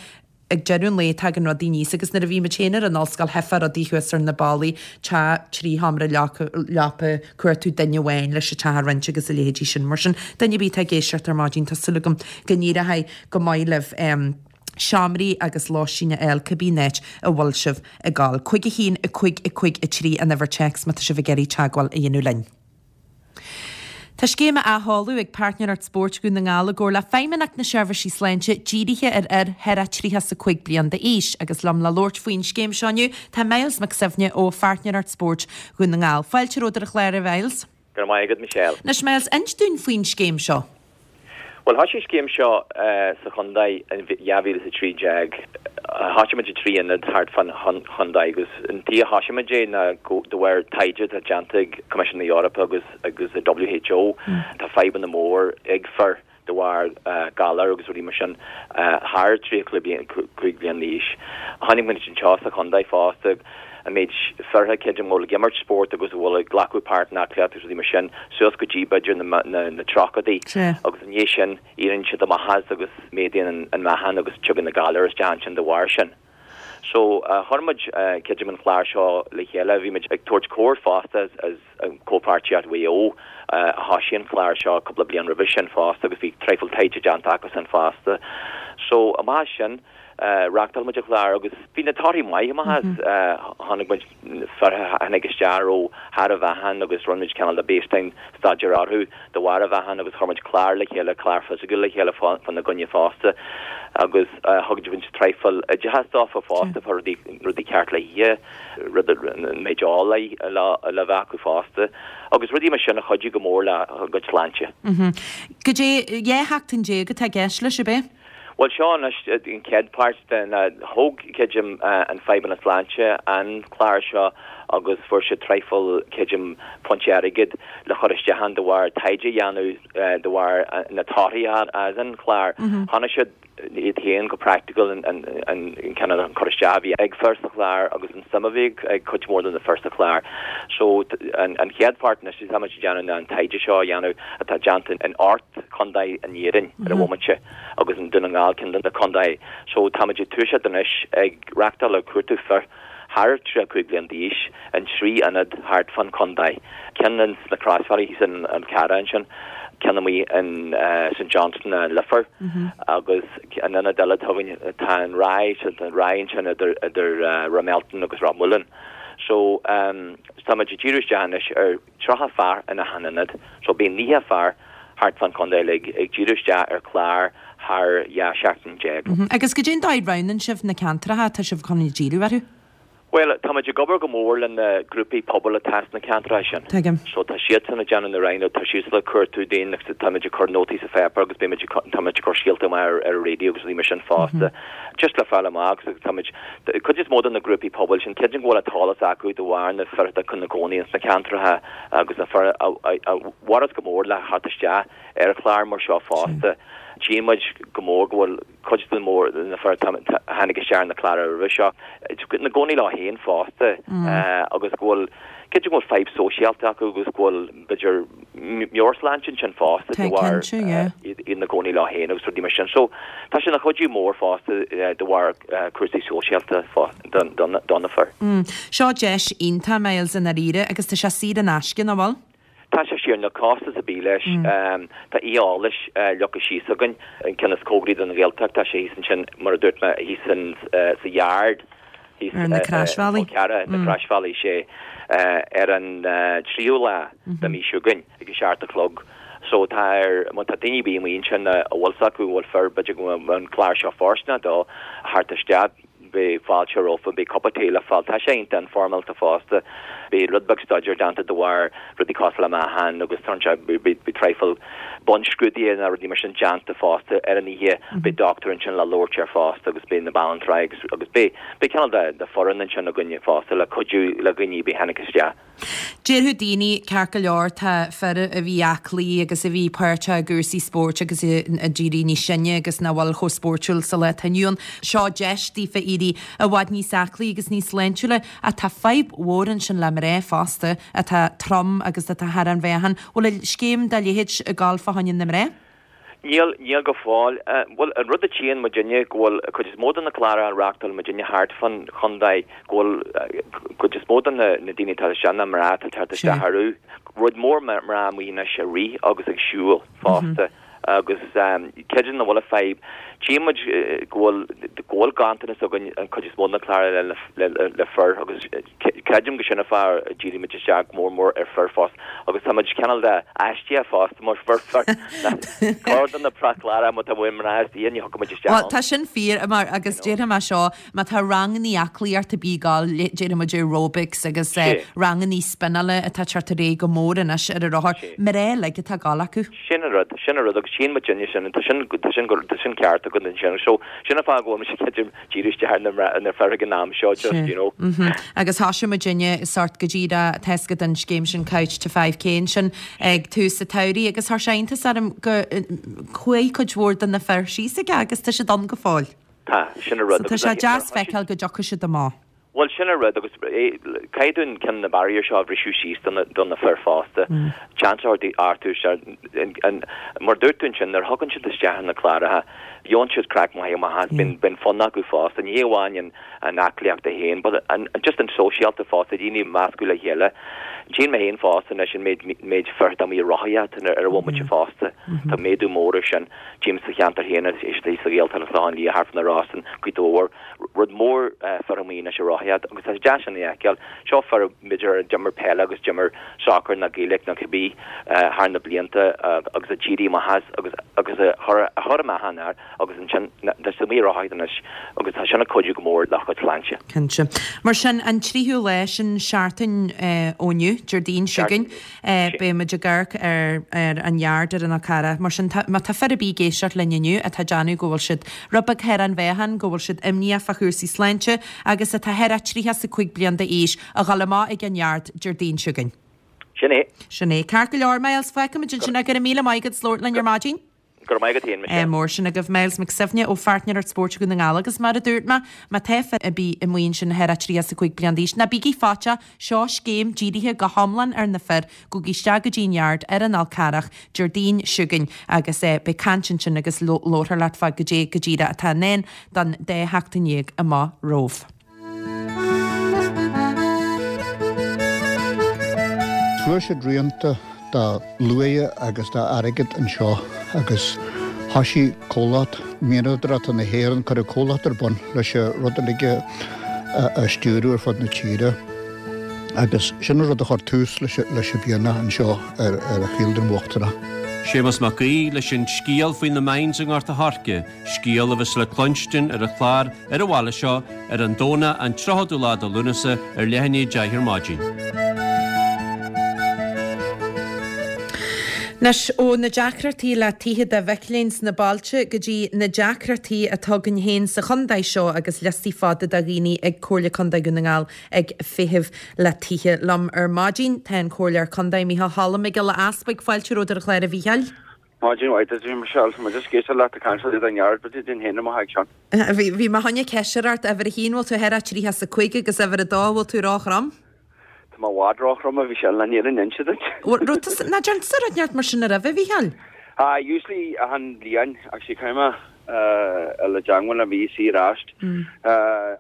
ag deireadh an lae tagann rudaí níos agus nuair a bhí muid féin ar an ollscoil theifeadh rudaí thuas ar na ballaí teach trí sheomra leapa cuartú duine amháin leis an teach a roinnt agus a leithéidí sin mar sin duine ar bith atá ag éisteacht ar maidin tá súil agam go n-éireoidh go maith libh um, seomraí agus lóistín a fháil cibé áit a bhfuil sibh ag gabháil. Cúig a haon a cúig a cúig a trí an uimhir téacs má tá sibh ag iarraidh teagmháil a dhéanamh linn. Tá scéim á sheoladh ag Páirtnéireacht Spóirt Dhún na nGall i gcomhar le Feidhmeannacht na Seirbhísí Sláinte dírithe ar fhir thar tríocha is a cúig bliain d'aois agus liom le labhairt faoin scéim seo inniu tá Myles Mac Suibhne ó Pháirtnéireacht Spóirt Dhún na nGall. Fáilte romhat ar an chlár a Mhyles. Go raibh maith agat Michelle. Anois Myles inis dúinn faoin scéim seo. Well thosaigh an scéim seo uh, sa chontae in dhá mhíle is a trí déag thosaigh muid i trí ionad thart fán chontae agus an tuige a thosaigh muid é ná de bharr taighde atá déanta ag Coimisiún na hEorpa agus agus a WHO tá fadhbanna mór ag fir de bharr uh, galar agus rudaí mar sin uh, thar tríocha cúig bliain d'aois. Tháinig muid anseo sa chontae fosta an méid fir creidim bhfuil ag imirt spórt agus bhfuil ag glacadh páirt in aclaíocht agus rudaí mar sin suas go dtí b'fhéidir na, na, na tríochaidí agus an sin éiríonn siad amach as agus méadaíonn an, an meáchan agus tugann na galair isteach sin de bharr sin. So uh, chuir muid uh, creidim an chlár seo le chéile bhí muid ag tabhairt cabhair fosta as, as an comhpháirtíocht Mhaigh Eo uh, a thosaigh an chlár seo cúpla bliain roimhe sin fosta agus bhí traidhfil taighde déanta acu sin fosta. So amach sin uh, reáchtáil muid an chlár agus bhí na torthaí maith amach as tháinig muid fir tháinig isteach ó thar a mheáchan agus rinne muid cineál de baseline staidéar orthu de bharr a mheáchan agus chuir muid clár le chéile clár fisiciúil le chéile fána gcoinne fosta agus uh, thug muid traidhfil oideachas dófa fosta fá rudaí rudaí ceart le hithe rud méid le le bheith acu fosta agus rudaí mar sin a chuidigh go mór le a gcuid sláinte. Goidé dhá sheachtain déag atá i gceist leis ab é? Well seo an chéad pháirt den thóg creidim an Feidhmeannas Sláinte an clár seo agus fuair sé traidhfil creidim punt airgid le chur isteach ann de bharr taighde a dhéanamh de bharr na torthaí as an chlár. Chonaic siad iad féin go practical an an an cineál an cur isteach a bhí ag fir sa chlár agus an suim a bhí ag cuid mhór de na fir sa chlár. So an an chéad pháirt anois tá muid ag déanamh an taighde seo a dhéanamh atá déanta in ocht contae in Éirinn ar an bhomaite agus an Dún na nGall ceann de na contaetha. So tá muid ag toiseacht anois ag reáchtáil ag cuartú fir thar tríocha cúig bliain d'aois in trí ionad thart fán chontae. Ceann sna Croisbhealaí thíos in an Carra ansin, Ceann amuigh in St Johnston i Leifear agus an ionad eile atá againn tá an Ráth, so tá an Ráth ansin idir idir Ráth Mealtain agus Ráth Mhuilinn. So tá muid ag díriú isteach anois ar tríocha fear in achan ionad. So beidh naocha fear thart fán chontae uilig ag díriú isteach ar chlár thar dhá sheachtain déag. Agus goidé an dóigh a roghnaíonn sibh na ceantracha atá sibh chun díriú orthu? Bhuel, tá muid ag obair go mór le na grúpaí pobail atá sna ceantracha sin. Tuigim. So tá siadsan ag déanamh na roghanna, tá siadsan ag cuartú dúinn agus tá muid ag cur nótaí sa pháipéar agus beidh muid ag, tá muid ag cur scéalta amach ar, ar an raidió agus rudaí mar sin fosta. Just le fáil amach agus tá muid, cuid is mó de na grúpaí pobail sin, creidim go bhfuil an t-eolas acu de bharr na fir atá ina gcónaí ins na ceantracha agus na fir a, a, a mhairfeas go mór le theacht isteach ar chlár mar seo fosta. Tchíonn muid go mór go bhfuil cuid de mór na fir a tháinig isteach ar na cláir roimhe seo ina gcónaí leo féin fosta agus go bhfuil cinnte go bhfuil fadhb sóisialta acu agus go bhfuil b'fhéidir meabhairshláinte ansin fosta de bharr iad ina gcónaí leo féin agus rudaí mar sin. So tá sé ina chuidiú mór fosta de bharr cúrsaí sóisialta do na fir. Seo deis iontach, Myles, i ndáiríre agus tá sé saor in aisce, nach bhfuil? Tá sé saor, níl costas ar bith leis. Tá oíche eolais leagtha síos againn, an ceann is cóngaraí don Ghaeltacht, tá sé thíos ansin, mar a dúirt mé, thíos in sa Yard, thíos Ar na Croisbhealaí. Col Cearra, na Croisbhealaí, sé ar an tríú lá de mhí seo chugainn ag a seacht a chlog. So tá ar, má tá daoine ar bith amuigh ansin a bhfuil 's acu, a bhfuil fir, b'fhéidir go bhfuil an clár seo fóirsteanach dó, theacht isteach. Beidh fáilte rompu, beidh cupa tae le fáil. Tá sé iontach informálta fosta. Beidh rud beag staidéir déanta de bharr rudaí cosúil le meáchan agus tá beidh traidhfil bunscrúduithe nó rudaí mar sin déanta fosta ar an oíche. Beidh dochtúir ansin le labhairt air fosta agus beidh na banaltraí agus agus beidh beidh cineál de de foireann ansin againne fosta le cuidiú le dhaoine ar bith a tháinig isteach. Déarfadh daoine, ceart go leor, tá fir a bhí aclaí agus a bhí páirteach i gcúrsaí spóirt agus ag éirí níos sine agus nach bhfuil chomh spóirtiúil sa lá atá inniu ann. Seo deis daofa éirí i bhfad níos aclaí agus níos sláintiúla. Ach tá fadhb mhór ansin le mná fosta atá trom agus atá thar an mheáchan. Bhfuil scéim dá leithéid ag gabháil fá choinne na mná? Níl, níl go fóill. Bhuel, an rud a tchíonn muidinne go bhfuil cuid is mó de na cláracha a reáchtáil muidinne thart fán chontae, go bhfuil cuid is mó de na daoine atá isteach, na mná atá ag teacht isteach orthu, rud mór mná amuigh anois ag rith agus ag siúl fosta agus creidim nach bhfuil an fadhb. Tchíonn muid go bhfuil, go bhfuil ganntanas againn an cuid is mó de na cláracha le, le, le fir agus creidim go sin an fáth a dhírigh muid isteach go mór mór ar fir fosta agus tá muid cineál de aisteach fosta mar fir fir Corr de na cláracha má tá uainn mná is ní thiocfaidh muid isteach Bhuel, ann. tá sin fíor mar agus déarfaidh mé seo, má tá rangannaí aclaíochta ar bith ag gabháil, déarfaidh muid aerobics agus Sé. rangannaí spinneála atá ag teacht ar aghaidh go mór anois ar an rothar, Sé. mná uilig atá ag gabháil acu. Sin an rud, sin an rud agus tchíonn muid sin, tá sin, tá sin, tá sin ceart agat ansin. So, sin an fáth go bhfuil mise creidim díriú isteach ar na mná, ar na fir ag an am seo just, you know. Agus thosaigh muidinne sórt go díreach tá a fhios agat an scéim sin Couch to five K ansin ag tús an tsamhraidh agus chuir sé iontas orm go chuaigh cuid mhór de na fir síos aige agus tá siad ann go fóill. Tá, sin an rud. So tá sé deas feiceáil go dtiocfaidh siad amach. Bhuel, sin an rud agus caithfidh dúinn ceann na barriers seo a bhriseadh síos do na, do na fir fosta. Seans a thabhairt orthu, mar a dúirt tú ansin, nuair a thagann siad isteach ar na cláracha, gheobhann siad craic maith amach as, bíonn, bíonn fonn acu fosta, ní hé amháin an, an aclaíocht é féin, but an, just an sóisialta fosta, daoine ag meascadh le chéile. Tchíonn mé féin fosta anois an méid, méid fir atá amuigh ag rothaíocht ar an bhomaite fosta. Tá méadú mór ar sin. Tchím sa cheantar féin, istigh sa Ghaeltacht, an Clochán Liath, thart fá na Rosann, Gaoth Dobhair, rud mór fir amuigh anois ag rothaíocht agus tá sé deas sin a fheiceáil. Seo fir b'fhéidir a d'imir peile agus d'imir sacar nó Gaeilge nó cibé thar na blianta agus a d'éirigh amach as agus agus a chuir a chuir meáchan air agus ansin tá siad amuigh ag rothaíocht anois agus tá sin ag cuidiú go mór le chuid sláinte. Cinnte. Mar sin, an tríú lá sin seachtain ó inniu, Déardaoin seo chugainn, beidh muid ag amharc ar ar an Yard ar an Fhál Carrach. Mar sin, tá má tá fir ar bith ag éisteacht linn inniu atá ag déanamh go bhfuil siad rud beag thar an mheáchan, go bhfuil siad imníoch fá chúrsaí sláinte agus atá thar a tríocha is a cúig bliain d'aois, a dhul amach ag an Yard Déardaoin seo chugainn. Sin é. Sin é. Ceart go leor, Myles, feicfimid ansin. Go raibh míle maith agat as labhairt linn ar maidin. Go raibh maith agat féin, Michelle. Mór sin agaibh, Myles Mac Suibhne ó Pháirtnéireacht Spóirt Dhún na nGall agus mar a dúirt mé, má tá fir ar bith amuigh ansin thar a tríocha is a cúig bliain d'aois, ná bígí faiteach, seo scéim dírithe go hiomlán ar na fir, gabhaigí isteach go dtí an Yard ar an Fhál Carrach Déardaoin seo chugainn agus beidh caint ansin agus labharfar leat fá goidé go díreach atá i ndán don dá sheachtain dhéag amach romhaibh. Fuair siad rianta de luaidhe agus d'airgead anseo agus thosaigh comhlacht mianadóireachta na hÉireann, cuireadh comhlacht ar bun leis an rud uilig a stiúradh ar fud na tíre agus sin an rud a chuir tús leis an mhianach anseo ar ar Chill Dara Uachtarach. Séamus Mac Aoidh leis an scéal faoi na mines i nGort a' Choirce, scéal a bheas le cluinstin ar an chlár ar an bhaile seo ar an Domhnach an tríochadú lá de Lúnasa ar leath i ndiaidh a deich ar maidin. Anois, ó na deacrachtaí le tithe do mhic léinn sna bailte go dtí na deacrachtaí atá againn féin sa chontae seo agus liostaí fada de dhaoine ag Comhairle Contae Dhún na nGall ag feitheamh le tithe. Liom ar maidin tá an Comhairleoir Contae Micheál Choilm Mac Giolla Easbuig. Fáilte romhat ar an chlár a Mhícheáil. Maidin mhaith duit, a Mhichelle. Tá mé just ag éisteacht leat ag caint le do neart, but didn't héin mo haghaidh Sean. Bhí bhí mé chun ceist a chur ort, uimhir a haon, bhfuil tú thar a tríocha is a cúig agus uimhir a dó, bhfuil tú róthrom? Tá mé i bhfad róthrom, a Mhichelle, le níor inse duit. Raibh tusa, ná dearn tusa rud neart mar sin roimhe, a Mhícheáil? Ah, usually achan bhliain, actually caithfidh mé a le dteangmháil le BC ar ais.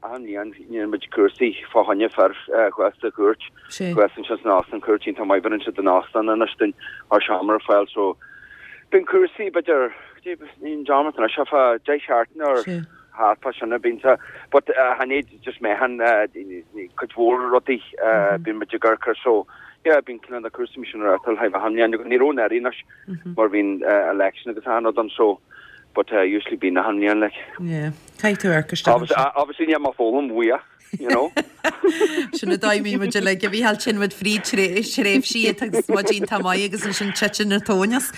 Achan bhliain dhéanann muid cúrsaí fá choinne fir thuas sa chúirt, thuas ansin san óstán, cúirt iontach maith bheireann siad an óstán anois duinn ár seomra ar fáil so bíonn cúrsaí b'fhéidir, níl dearmad anois ach fá deich seachtaine or thart fá sin a bíonn sa but chan é just meáchan cuid mhór rudaí bíonn muid ag amharc air so yeah bíonn cineál na cúrsaí mar sin ar reáchtáil achan bhliain agus ní raibh anuraidh anois mar bhí an election agus achan rud ann so but usually bíonn achan bhliain like. Yeah caithfidh tú amharc isteach ansin. Obviously níl mé ag foghlaim uaidh. you know. Sin an dóigh a mbíonn muid uilig, a Mhícheáil, téann muid fríd tréimhsí agus muid iontach maith agus ansin titeann an tóin as.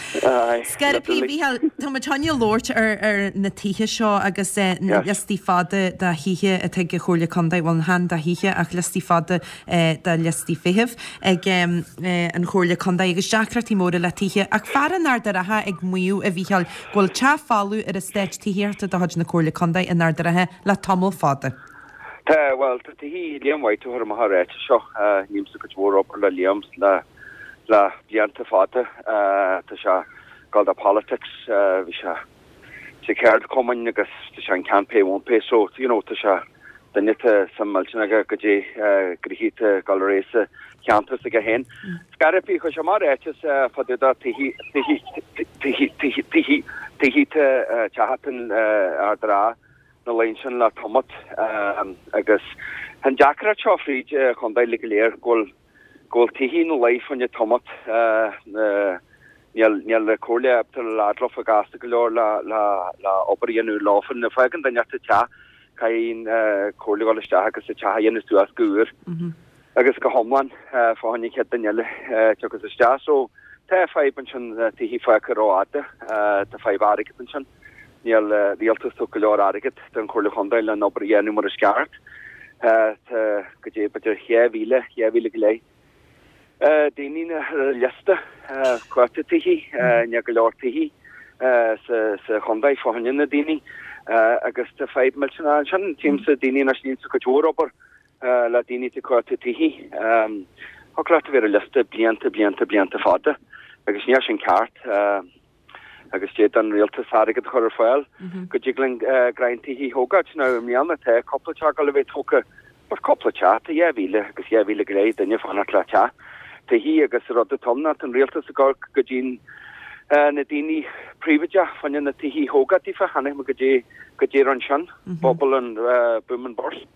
Scairpí, a Mhícheáil, tá muid chun labhairt ar ar na tithe seo agus na liostaí fada de thithe atá ag an Chomhairle Contae, bhuel chan de thithe ach liostaí fada de liostaí feithimh ag an Chomhairle Contae agus deacrachtaí móra le tithe. Ach fear in Ard a' Rátha ag maíomh, a Mhícheáil, go bhfuil teach folamh ar eastát tithíochta de chuid na Comhairle Contae in Ard a' Rátha le tamall fada. Tá, bhuel, tá tithe Liam White a chuir amach an ráiteas seo. Nímsa cuid mhór obair le Liam le le blianta fada. Tá sé ag dul do politics, bhí sé sa cheardchumainn agus tá sé an can't pay won't pay so, you know, tá sé duine atá suim millteanach aige goidé gnoithí atá ag dul ar aghaidh sa cheantar s'aige féin. Scairpí, chuir sé amach ráiteas fá dtaobh de tithe, tithe, tithe, tithe, tithe, tithe teach atá in Ard a' Rátha. na laethanta sin le tamalt agus tá an deacracht seo fríd an chontae uilig go léir go bhfuil go bhfuil tithe ina luí fá choinne tamalt níl níl an comhairle ábalta leaid leofa gasta go leor le le le obair a dhéanamh leofa nuair a fágann duine inteacht teach caithfidh an comhairle dhul isteach agus an teach a dhéanamh suas go úr. agus go hiomlán fá choinne an chéad duine eile a thiocfas isteach. So tá fadhb ansin, tithe fágtha rófhada, tá fadhb airgid ansin. Níl rialtas tugtha go leor airgid don Chomhairle Chontae le an obair a dhéanamh mar is ceart. Tá go dtí b'fhéidir dhá mhíle, dhá mhíle go leith daoine ar an liosta cuartaithe tithe, níl go leor tithe sa chontae fá choinne na daoine agus tá fadhb millteanach ansin. Tímse daoine anois, nímse cuid mhór obair le daoine atá ag cuartú tithe. Thig leat a bheith ar an liosta blianta, blianta, blianta fada agus níl sin ceart agus d'fhéadfadh an rialtas airgead a chur ar fáil go dtig linn greim tithe a thógáilt. Now i mbliana tá cúpla teach ag dul a bheith tógtha but cúpla teach, tá dhá mhíle agus dhá mhíle go leith duine ag fanacht le teach, tithe agus rud atá ann ná tá an rialtas ag amharc go dtí na daoine príobháideach fá choinne na tithe a thógáil daofa, chonaic mé goidé goidé a rinne sin, bubble and boom and burst.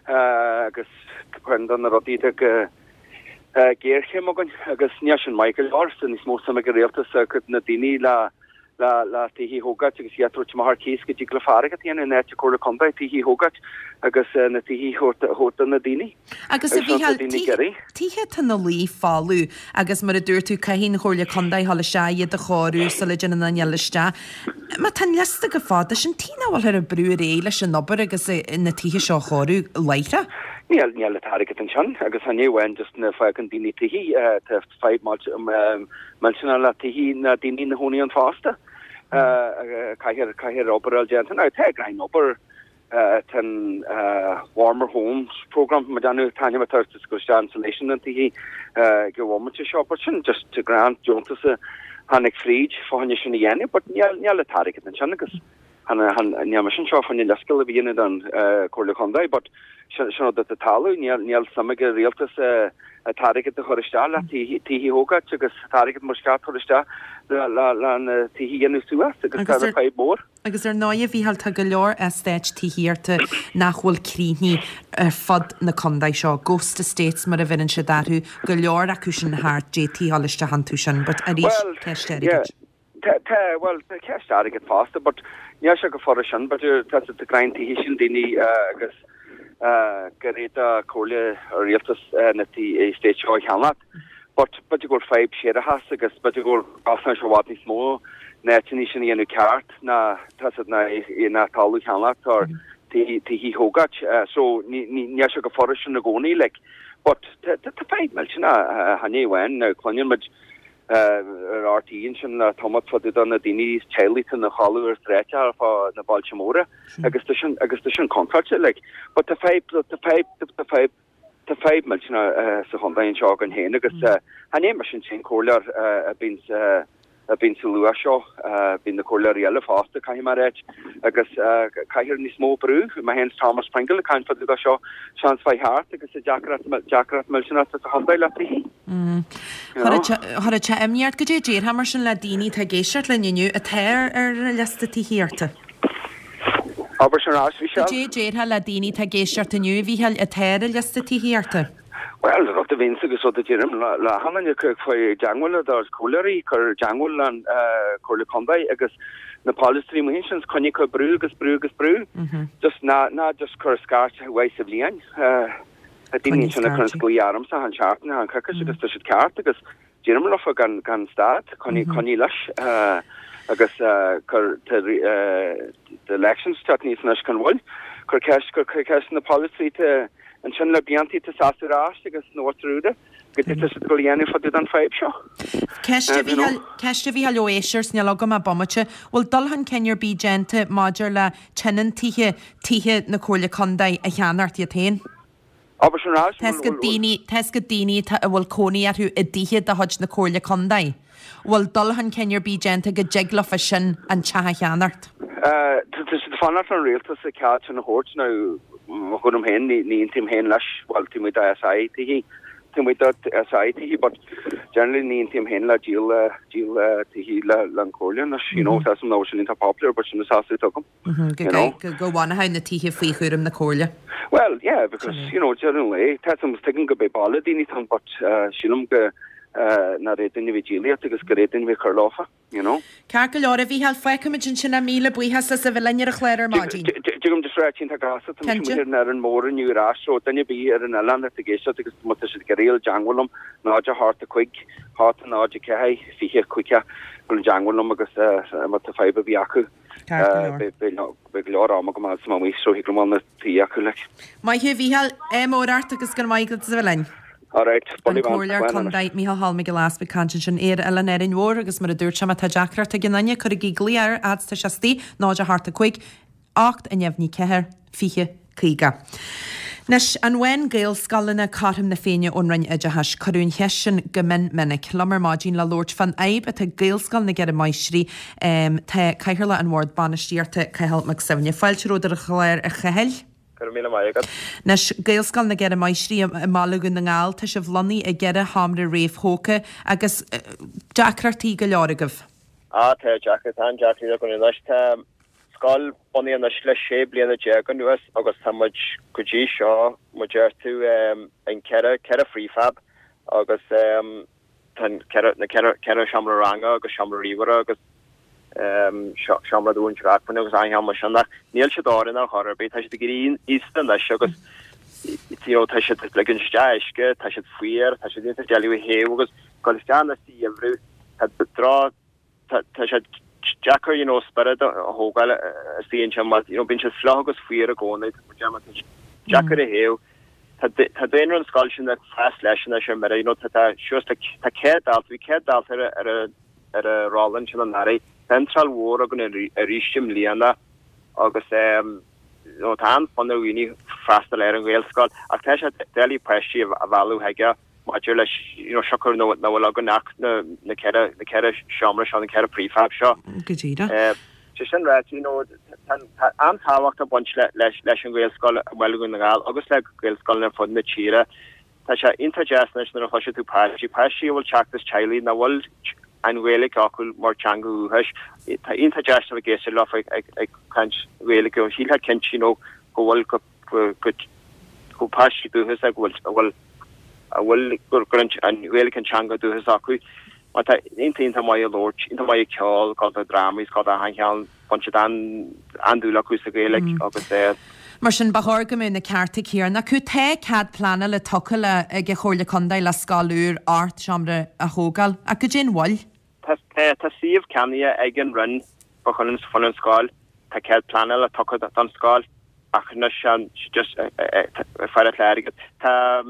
Agus ceann de na rudaí atá go géarchéim againn agus níl sin maith go leor, tá níos mó suim ag an rialtas agus na daoine le le le tithe a thógáilt agus iad a thabhairt amach ar cíos go dtig leofa airgead a dhéanamh in áit an Chomhairle Contae tithe a thógáilt agus na tithe a thabhairt do na daoine. Agus a Mhícheáil, tithe atá ina luí folamh agus mar a dúirt tú caithfidh an Chomhairle Contae dhul isteach iad a chóiriú sula dtéann aon duine eile isteach. Má tá an liosta chomh fada sin, tuige nach bhfuilthear ag brú ar aghaidh leis an obair agus na tithe seo a chóiriú láithreach? Níl, níl an t-airgead ansin agus chan é amháin just na fágann daoine tithe, tá fadhb millteanach le tithe na daoine ina chónaí ann fosta. Caithfear, caithfear obair a fháil déanta. Now tá greim obair Tá an Warmer Homes Programme mar déanamh taitneamh atá ag go isteach insulation na tithe ag an bhomaite seo but sin just grant deontas a tháinig fríd fá choinne sin a dhéanamh but níl níl an t-airgead ansin agus Níl mise anseo fá choinne leithscéal a dhéanamh don Chomhairle Contae but sin rud atá ag tarlú, níl suim ag an rialtas an t-airgead a chur isteach le tithe a thógáil agus an t-airgead mar is ceart a chur isteach le na tithe a dhéanamh suas agus tá fadhb mhór. Agus ar ndóigh, a Mhícheáil, tá go leor eastáit tithíochta nach bhfuil críochnaithe ar fud na contae seo, ghost estates mar a bheireann siad orthu, go leor acu sin thart, d'fhéadfaí a dhul isteach iontu sin, but arís, ceist airgid. Tá, tá, bhuel, tá ceist airgid fosta, but níl sé chomh furast sin, but tá siad ag roinnt tithe sin daoine agus gur fhéadfadh comhairle rialtas na estáit seo a cheannacht. But b'fhéidir go bhfuil fadhb séarachais agus b'fhéidir go bhfuil costas i bhfad níos mó na áiteanna sin a dhéanamh ceart ná tá siad ná ná talamh a cheannacht or tithe a thógáil. So ní ní níl sé chomh furast sin i gcónaí like. But tá tá tá fadhb millteanach chan é amháin now cluineann muid ar RTÉ ansin le tamall fá dtaobh de na daoine is teaghlaigh atá ina chodladh ar stráice ar fá na bailte móra agus tá sin agus tá sin contráilte like. But tá fadhb tá fadhb tá fadhb Tá fadhb millteanach sa chontae anseo againn féin agus chan é mise an t-aon chomhairleoir a bhíonn a bhíonn sa luath seo, bíonn na comhairleoirí eile fosta, caithfidh mé a ráit, agus caithfear níos mó brú, mé féin is Thomas Pringle ag caint fá dtaobh de seo, seans mhaith thart agus deacracht deacracht millteanach sa chontae le tithí. Chuirfeadh sé imní ort, goidé a déarfá mar sin le daoine atá ag éisteacht linn inniu atá ar ar liosta tithíochta? Abair sin ar ais, a Mhichelle. Goidé a déarfá le daoine atá ag éisteacht inniu, a Mhíchíl, atá ar an liosta tithíochta? Bhuel, rud a bhíonns agus rud a deirim le achan duine, faigh i dteangmháil le do chomhairleoirí, cuir i dteangmháil le Comhairle Contae agus na polaiteoirí amuigh ansin, coinnigh ag cur brú agus brú agus brú. Just ná, ná just cuir scairt uair sa bhliain. Tá daoine ansin ag cur glaoch ormsa achan seachtain, achan coicís agus tá siad ceart agus Deirim leofa gan gan stad, coinnigh coinnigh leis agus cuir tá the elections ag teacht aníos anois gan mhoill. Cuir ceist cuir ceist na polaiteoirí atá ansin le blianta atá seasamh ar ais agus na bhfuil goidé atá siad ag dul a dhéanamh fá dtaobh den fadhb seo. Ceist a Mhíchíl, ceist a Mhíchíl ó éisteoir 's níl agam ach bomaite, bhfuil dul chun cinn ar bith déanta maidir le tionóntaithe tithe na Comhairle Contae a cheannacht iad féin? Abair sin ar ais, Tá 'fhios agat daoine, tá 'fhios agat daoine atá, a bhfuil cónaí orthu i dtithe de chuid na Comhairle Contae. Bhfuil dul chun cinn ar bith déanta go dtig leofa sin an teach a cheannacht? Tá siad ag fanacht ar an rialtas an cead sin a thabhairt now mo thuairim féin ní ní aontaím féin leis, bhuel taobh amuigh de SI tithe, taobh amuigh de SI tithe but generally ní aontaím féin le díol díol tithe le le an Chomhairle anois, you know, tá 'fhios a'm nach bhfuil sin iontach popular but sin an seasamh atá agam. Go you know. Go bhfanfadh na tithe faoi chúram na Comhairle. Well, yeah, because, you know, deireadh an lae, tá 'fhios a'm tuigim go beidh baile daoine ann, but uh, sílim go uh, nár fhéad duine a bheith díolaíocht agus gur fhéad duine a bheith cur leofa, you know. Ceart go leor, a Mhícheáil, fágfaimid ansin é, míle buíochas as a bheith linn ar an chlár ar maidin. Dtig liom just ráit iontach gasta, tá mise Cinnte. amuigh ar an Árainn Mhór inniu ar ais, so duine ar bith ar an oileán atá ag éisteacht agus má tá siad ag iarraidh dul i dteangmháil liom, náid a hocht a cúig, hocht náid a ceathair, fiche caoga, dul i dteangmháil liom agus uh, má tá fadhb ar bith acu. Ceart go leor. Beidh go leor ama agam fad is mé amuigh so thig liom na tí acu like. Maith thú a Mhícheáil, ádh mór ort agus go raibh maith agat as a bheith linn. Alright, An Comhairleoir Contae Mícheál Cholm Mac Giolla Easpaig ag caint ansin ar Oileán Árainn Mhór agus mar a dúirt sé má tá deacracht ag aon duine cuirigí glaoch air fhad is tá sé istigh, náid a hocht a cúig, ocht a neamhní ceathair, fiche, caoga. Anois, an bhfaigheann Gaelscoileanna cothrom na Féinne ón Roinn Oideachais? Cuireadh an cheist sin go mion minic. Liom ar maidin le labhairt fán fhadhb atá ag Gaelscoil na gCeithre Máistrí tá Cathaoirleach an Bhord Bainistíochta, Cathal Mac Suibhne. Fáilte romhat ar an chlár, a Chathail. Go raibh míle maith agat. Anois, Gaelscoil na gCeithre Máistrí i mBaile Dhún na nGall, tá sibh lonnaithe i gceithre sheomra réamhthógtha agus deacrachtaí go leor agaibh. Á, tá deacracht, tá an-deacracht againn anois. Tá. scoil bunaithe anois le sé bliana déag anuas agus tá muid go dtí seo, mar deir tú, in ceithre, ceithre prefab agus tá an ceithre, na ceithre, ceithre seomra ranga agus seomra ríomhaire agus seomra do mhúinteoir acmhainne agus achan cheann mar sin ach níl siad oiriúnach ar chor ar bith, tá siad ag éirí aosta anois agus you know tá siad ag ligint isteach uisce, tá siad fuar, tá siad iontach doiligh a théamh agus dul isteach anois sa gheimhreadh, tá droch tá sé deacair you know spiorad a thógáil istigh ansin mar you know bíonn siad fliuch agus fuar i gcónaí tá sé deacair a théamh. Tá tá daonra an scoil sin ag fás leis anois ar mire you know tá tá suas le tá céad dalta bhí céad dalta ar ar ar an rolla ansin anuraidh. Tá iontráil mhór againn arís i mbliana agus um you know tá an-fhonn ar dhaoine freastal ar an Ghaelscoil ach tá sé doiligh páistí a mhealladh chuige. maidir leis you know siocair nach bhfuil againn ach na na ceithre na ceithre seomra seo, na ceithre prefab seo. Go díreach. Sé sin ráite, you know, tá an-tábhacht ag baint leis leis an Ghaelscoil i mBaile Dhún na nGall agus le Gaelscoileanna ar fud na tíre. Tá sé iontach deas anois nuair a chloiseann tú páistí, páistí a bhfuil teacht as teaghlaigh nach bhfuil an Ghaeilge acu mar teanga dhúchais. Tá iontach deas a bheith ag éisteacht leo ag ag caint Ghaeilge. Shílfeá cinnte you know go bhfuil go go go páistí dúchas go bhfuil a bhfuil a bhfuil gur gur an Ghaeilge an teanga dúchas acu. Mar tá iontach iontach maith ag labhairt, iontach maith ag ceol, gabháil do drámaí, gabháil d'achan cheann, bíonn siad an-dúil acu sa Ghaeilge agus eh. Mar sin, ba chóir go mbeadh na cearta céanna acu. Tá cead pleanála tugtha le ag an Chomhairle Contae le scoil úr ocht seomra a thógáil, ach goidé an mhoill? Tá tá suíomh ceannaithe ag an Roinn fá choinne fá choinne an scoil, tá cead pleanála tugtha don scoil ach anois just ag faire le airgead. Tá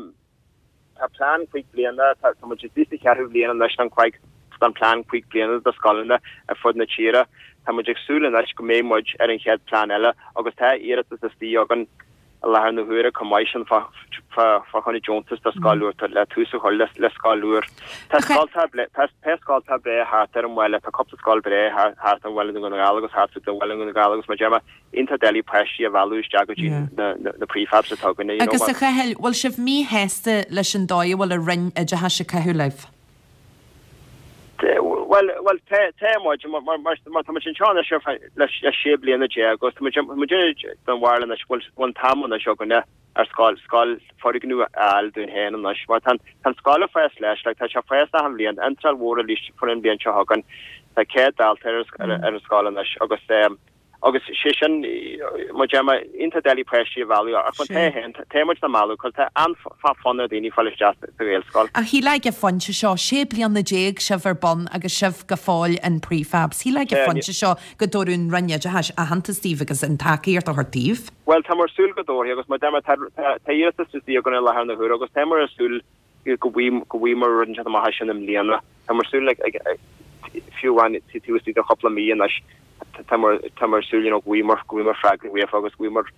Tá plean cúig bliana, tá muid istigh sa cheathrú bhliain anois don cúig, don plean cúig bliana do scoileanna ar fud na tíre. Tá muid ag súil anois go mbeidh muid ar an chéad plean eile agus tá iarratas istigh againn i láthair na huaire chomh maith sin fá fá choinne deontas do scoil úr le tús a chur le le scoil úr. Tá scolta tá tá scolta breá thart ar an bhaile, tá cúpla scoil breá thart ar an bhaile Dhún na nGall agus thart ar bhaile Dhún na nGall agus mar a deir mé iontach doiligh páistí a mhealladh isteach go dtí na prefabs atá againne, you know. Agus a Chathail, bhfuil sibh míshásta leis an dóigh a bhfuil an Roinn Oideachais ag caitheamh libh? Bhuel, bhuel, tá, tá muid, mar, mar, mar, mar tá muid anseo anois ar feadh le, le sé bliana déag agus tá muid, tá muid den bharúil anois go bhfuil, bhfuil an t-am anois againne ar scoil, scoil, foirgneamh a fháil dúinn féin anois mar tá an, tá an scoil ag fás leis, like, tá sé ag fás achan bhliain, iontráil mhór arís an bhliain seo chugainn, tá céad dalta ar, ar, ar an scoil anois agus eh, Agus sé sin, mar a deir mé, iontach doiligh páistí a mhealladh, ach má tá féin, tá muid á mealladh, cos tá an-fhonn ar dhaoine fáil isteach sa Ghaelscoil. Ach shílfeá ag an phointe seo, sé bliana déag sibh ar bun agus sibh go fóill in prefabs, shílfeá ag an phointe seo go dtabharfadh an Roinn Oideachais aitheantas daoibh agus an tacaíocht a thabhairt daoibh. Bhuel, tá muid ag súil go dtabharfaidh agus mar a deir mé, tá iarratas istigh againn i láthair na huaire agus tá muid ag súil go bhfaighidh muid rud inteacht amach as sin i mbliana. Tá muid ag súil fiú amháin taobh istigh de chúpla mí anois. Tá muid ag súil you know go bhfaighidh muid go bhfaighidh muid freagra uafa agus go bhfaighidh muid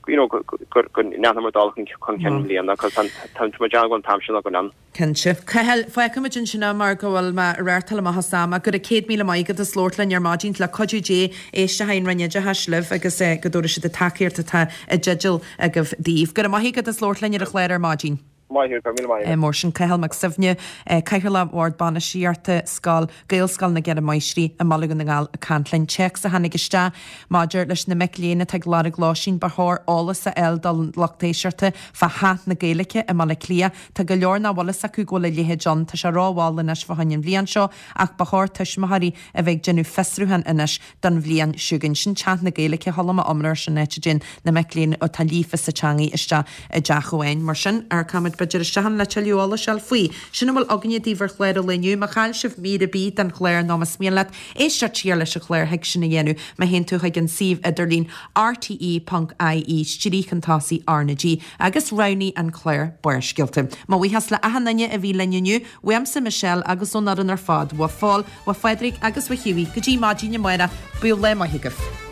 you know go ndéanfaidh muid dul chun cinn i mbliana cos tá muid ag déanamh go bhfuil an t-am sin againn ann. Cinnte. Cathal, fágfaimid ansin é mar go bhfuil mé ag reáchtáil amach as am ach go raibh céad míle maith agat as labhairt linn ar maidin le cuidiú Dé éistfidh an Roinn Oideachais libh agus go dtabharfaidh siad an tacaíocht atá i dteideal agaibh daoibh. Go raibh maith agat as labhairt linn ar an chlár ar maidin. Maith thú, go raibh míle maith agat. Mar sin Cathal Mac Suibhne, Cathaoirleach Bhord Bainistíochta Scoil Gaelscoil na gCeithre Máistrí i mBaile Dhún na nGall ag caint linn. Téacs a tháinig isteach maidir leis na mic léinn atá ag lorg lóistín. Ba chóir eolas a fháil don lucht éisteachta fá Theach na Gaeilge i mBaile Átha Cliath. Tá go leor nach bhfuil fhios acu go bhfuil a leithéid ann. Tá sé rómhall anois fá choinne an bhliain seo ach ba chóir tuismitheoirí a bheith ag déanamh fiosrúchán anois don bhliain seo chugainn. Sin Teach na Gaeilge, chuala mé iomrá air sin áit a dtéann na mic léinn atá líofa sa teangaidh isteach i dteach amháin. Mar sin, amharcfaimid b'fhéidir isteach ann le tuilleadh eolais a fháil faoi. Sin a bhfuil againne daoibh ar chlár an lae inniu. Má chaill sibh mír ar bith den chlár nó más mian leat éisteacht siar leis an chlár thig sin a dhéanamh má théann tú chuig an suíomh idirlín rte ponc ie stríoc chun tosaigh R na G agus roghnaigh an clár Barrscéalta. Mo bhuíochas le achan duine a bhí linn inniu, uaimse Michelle agus ón fhoireann ar fad, uaidh Phól, uaidh Phádraig agus uaidh Hughie. Go dtí maidin amárach, bíodh lá maith agaibh.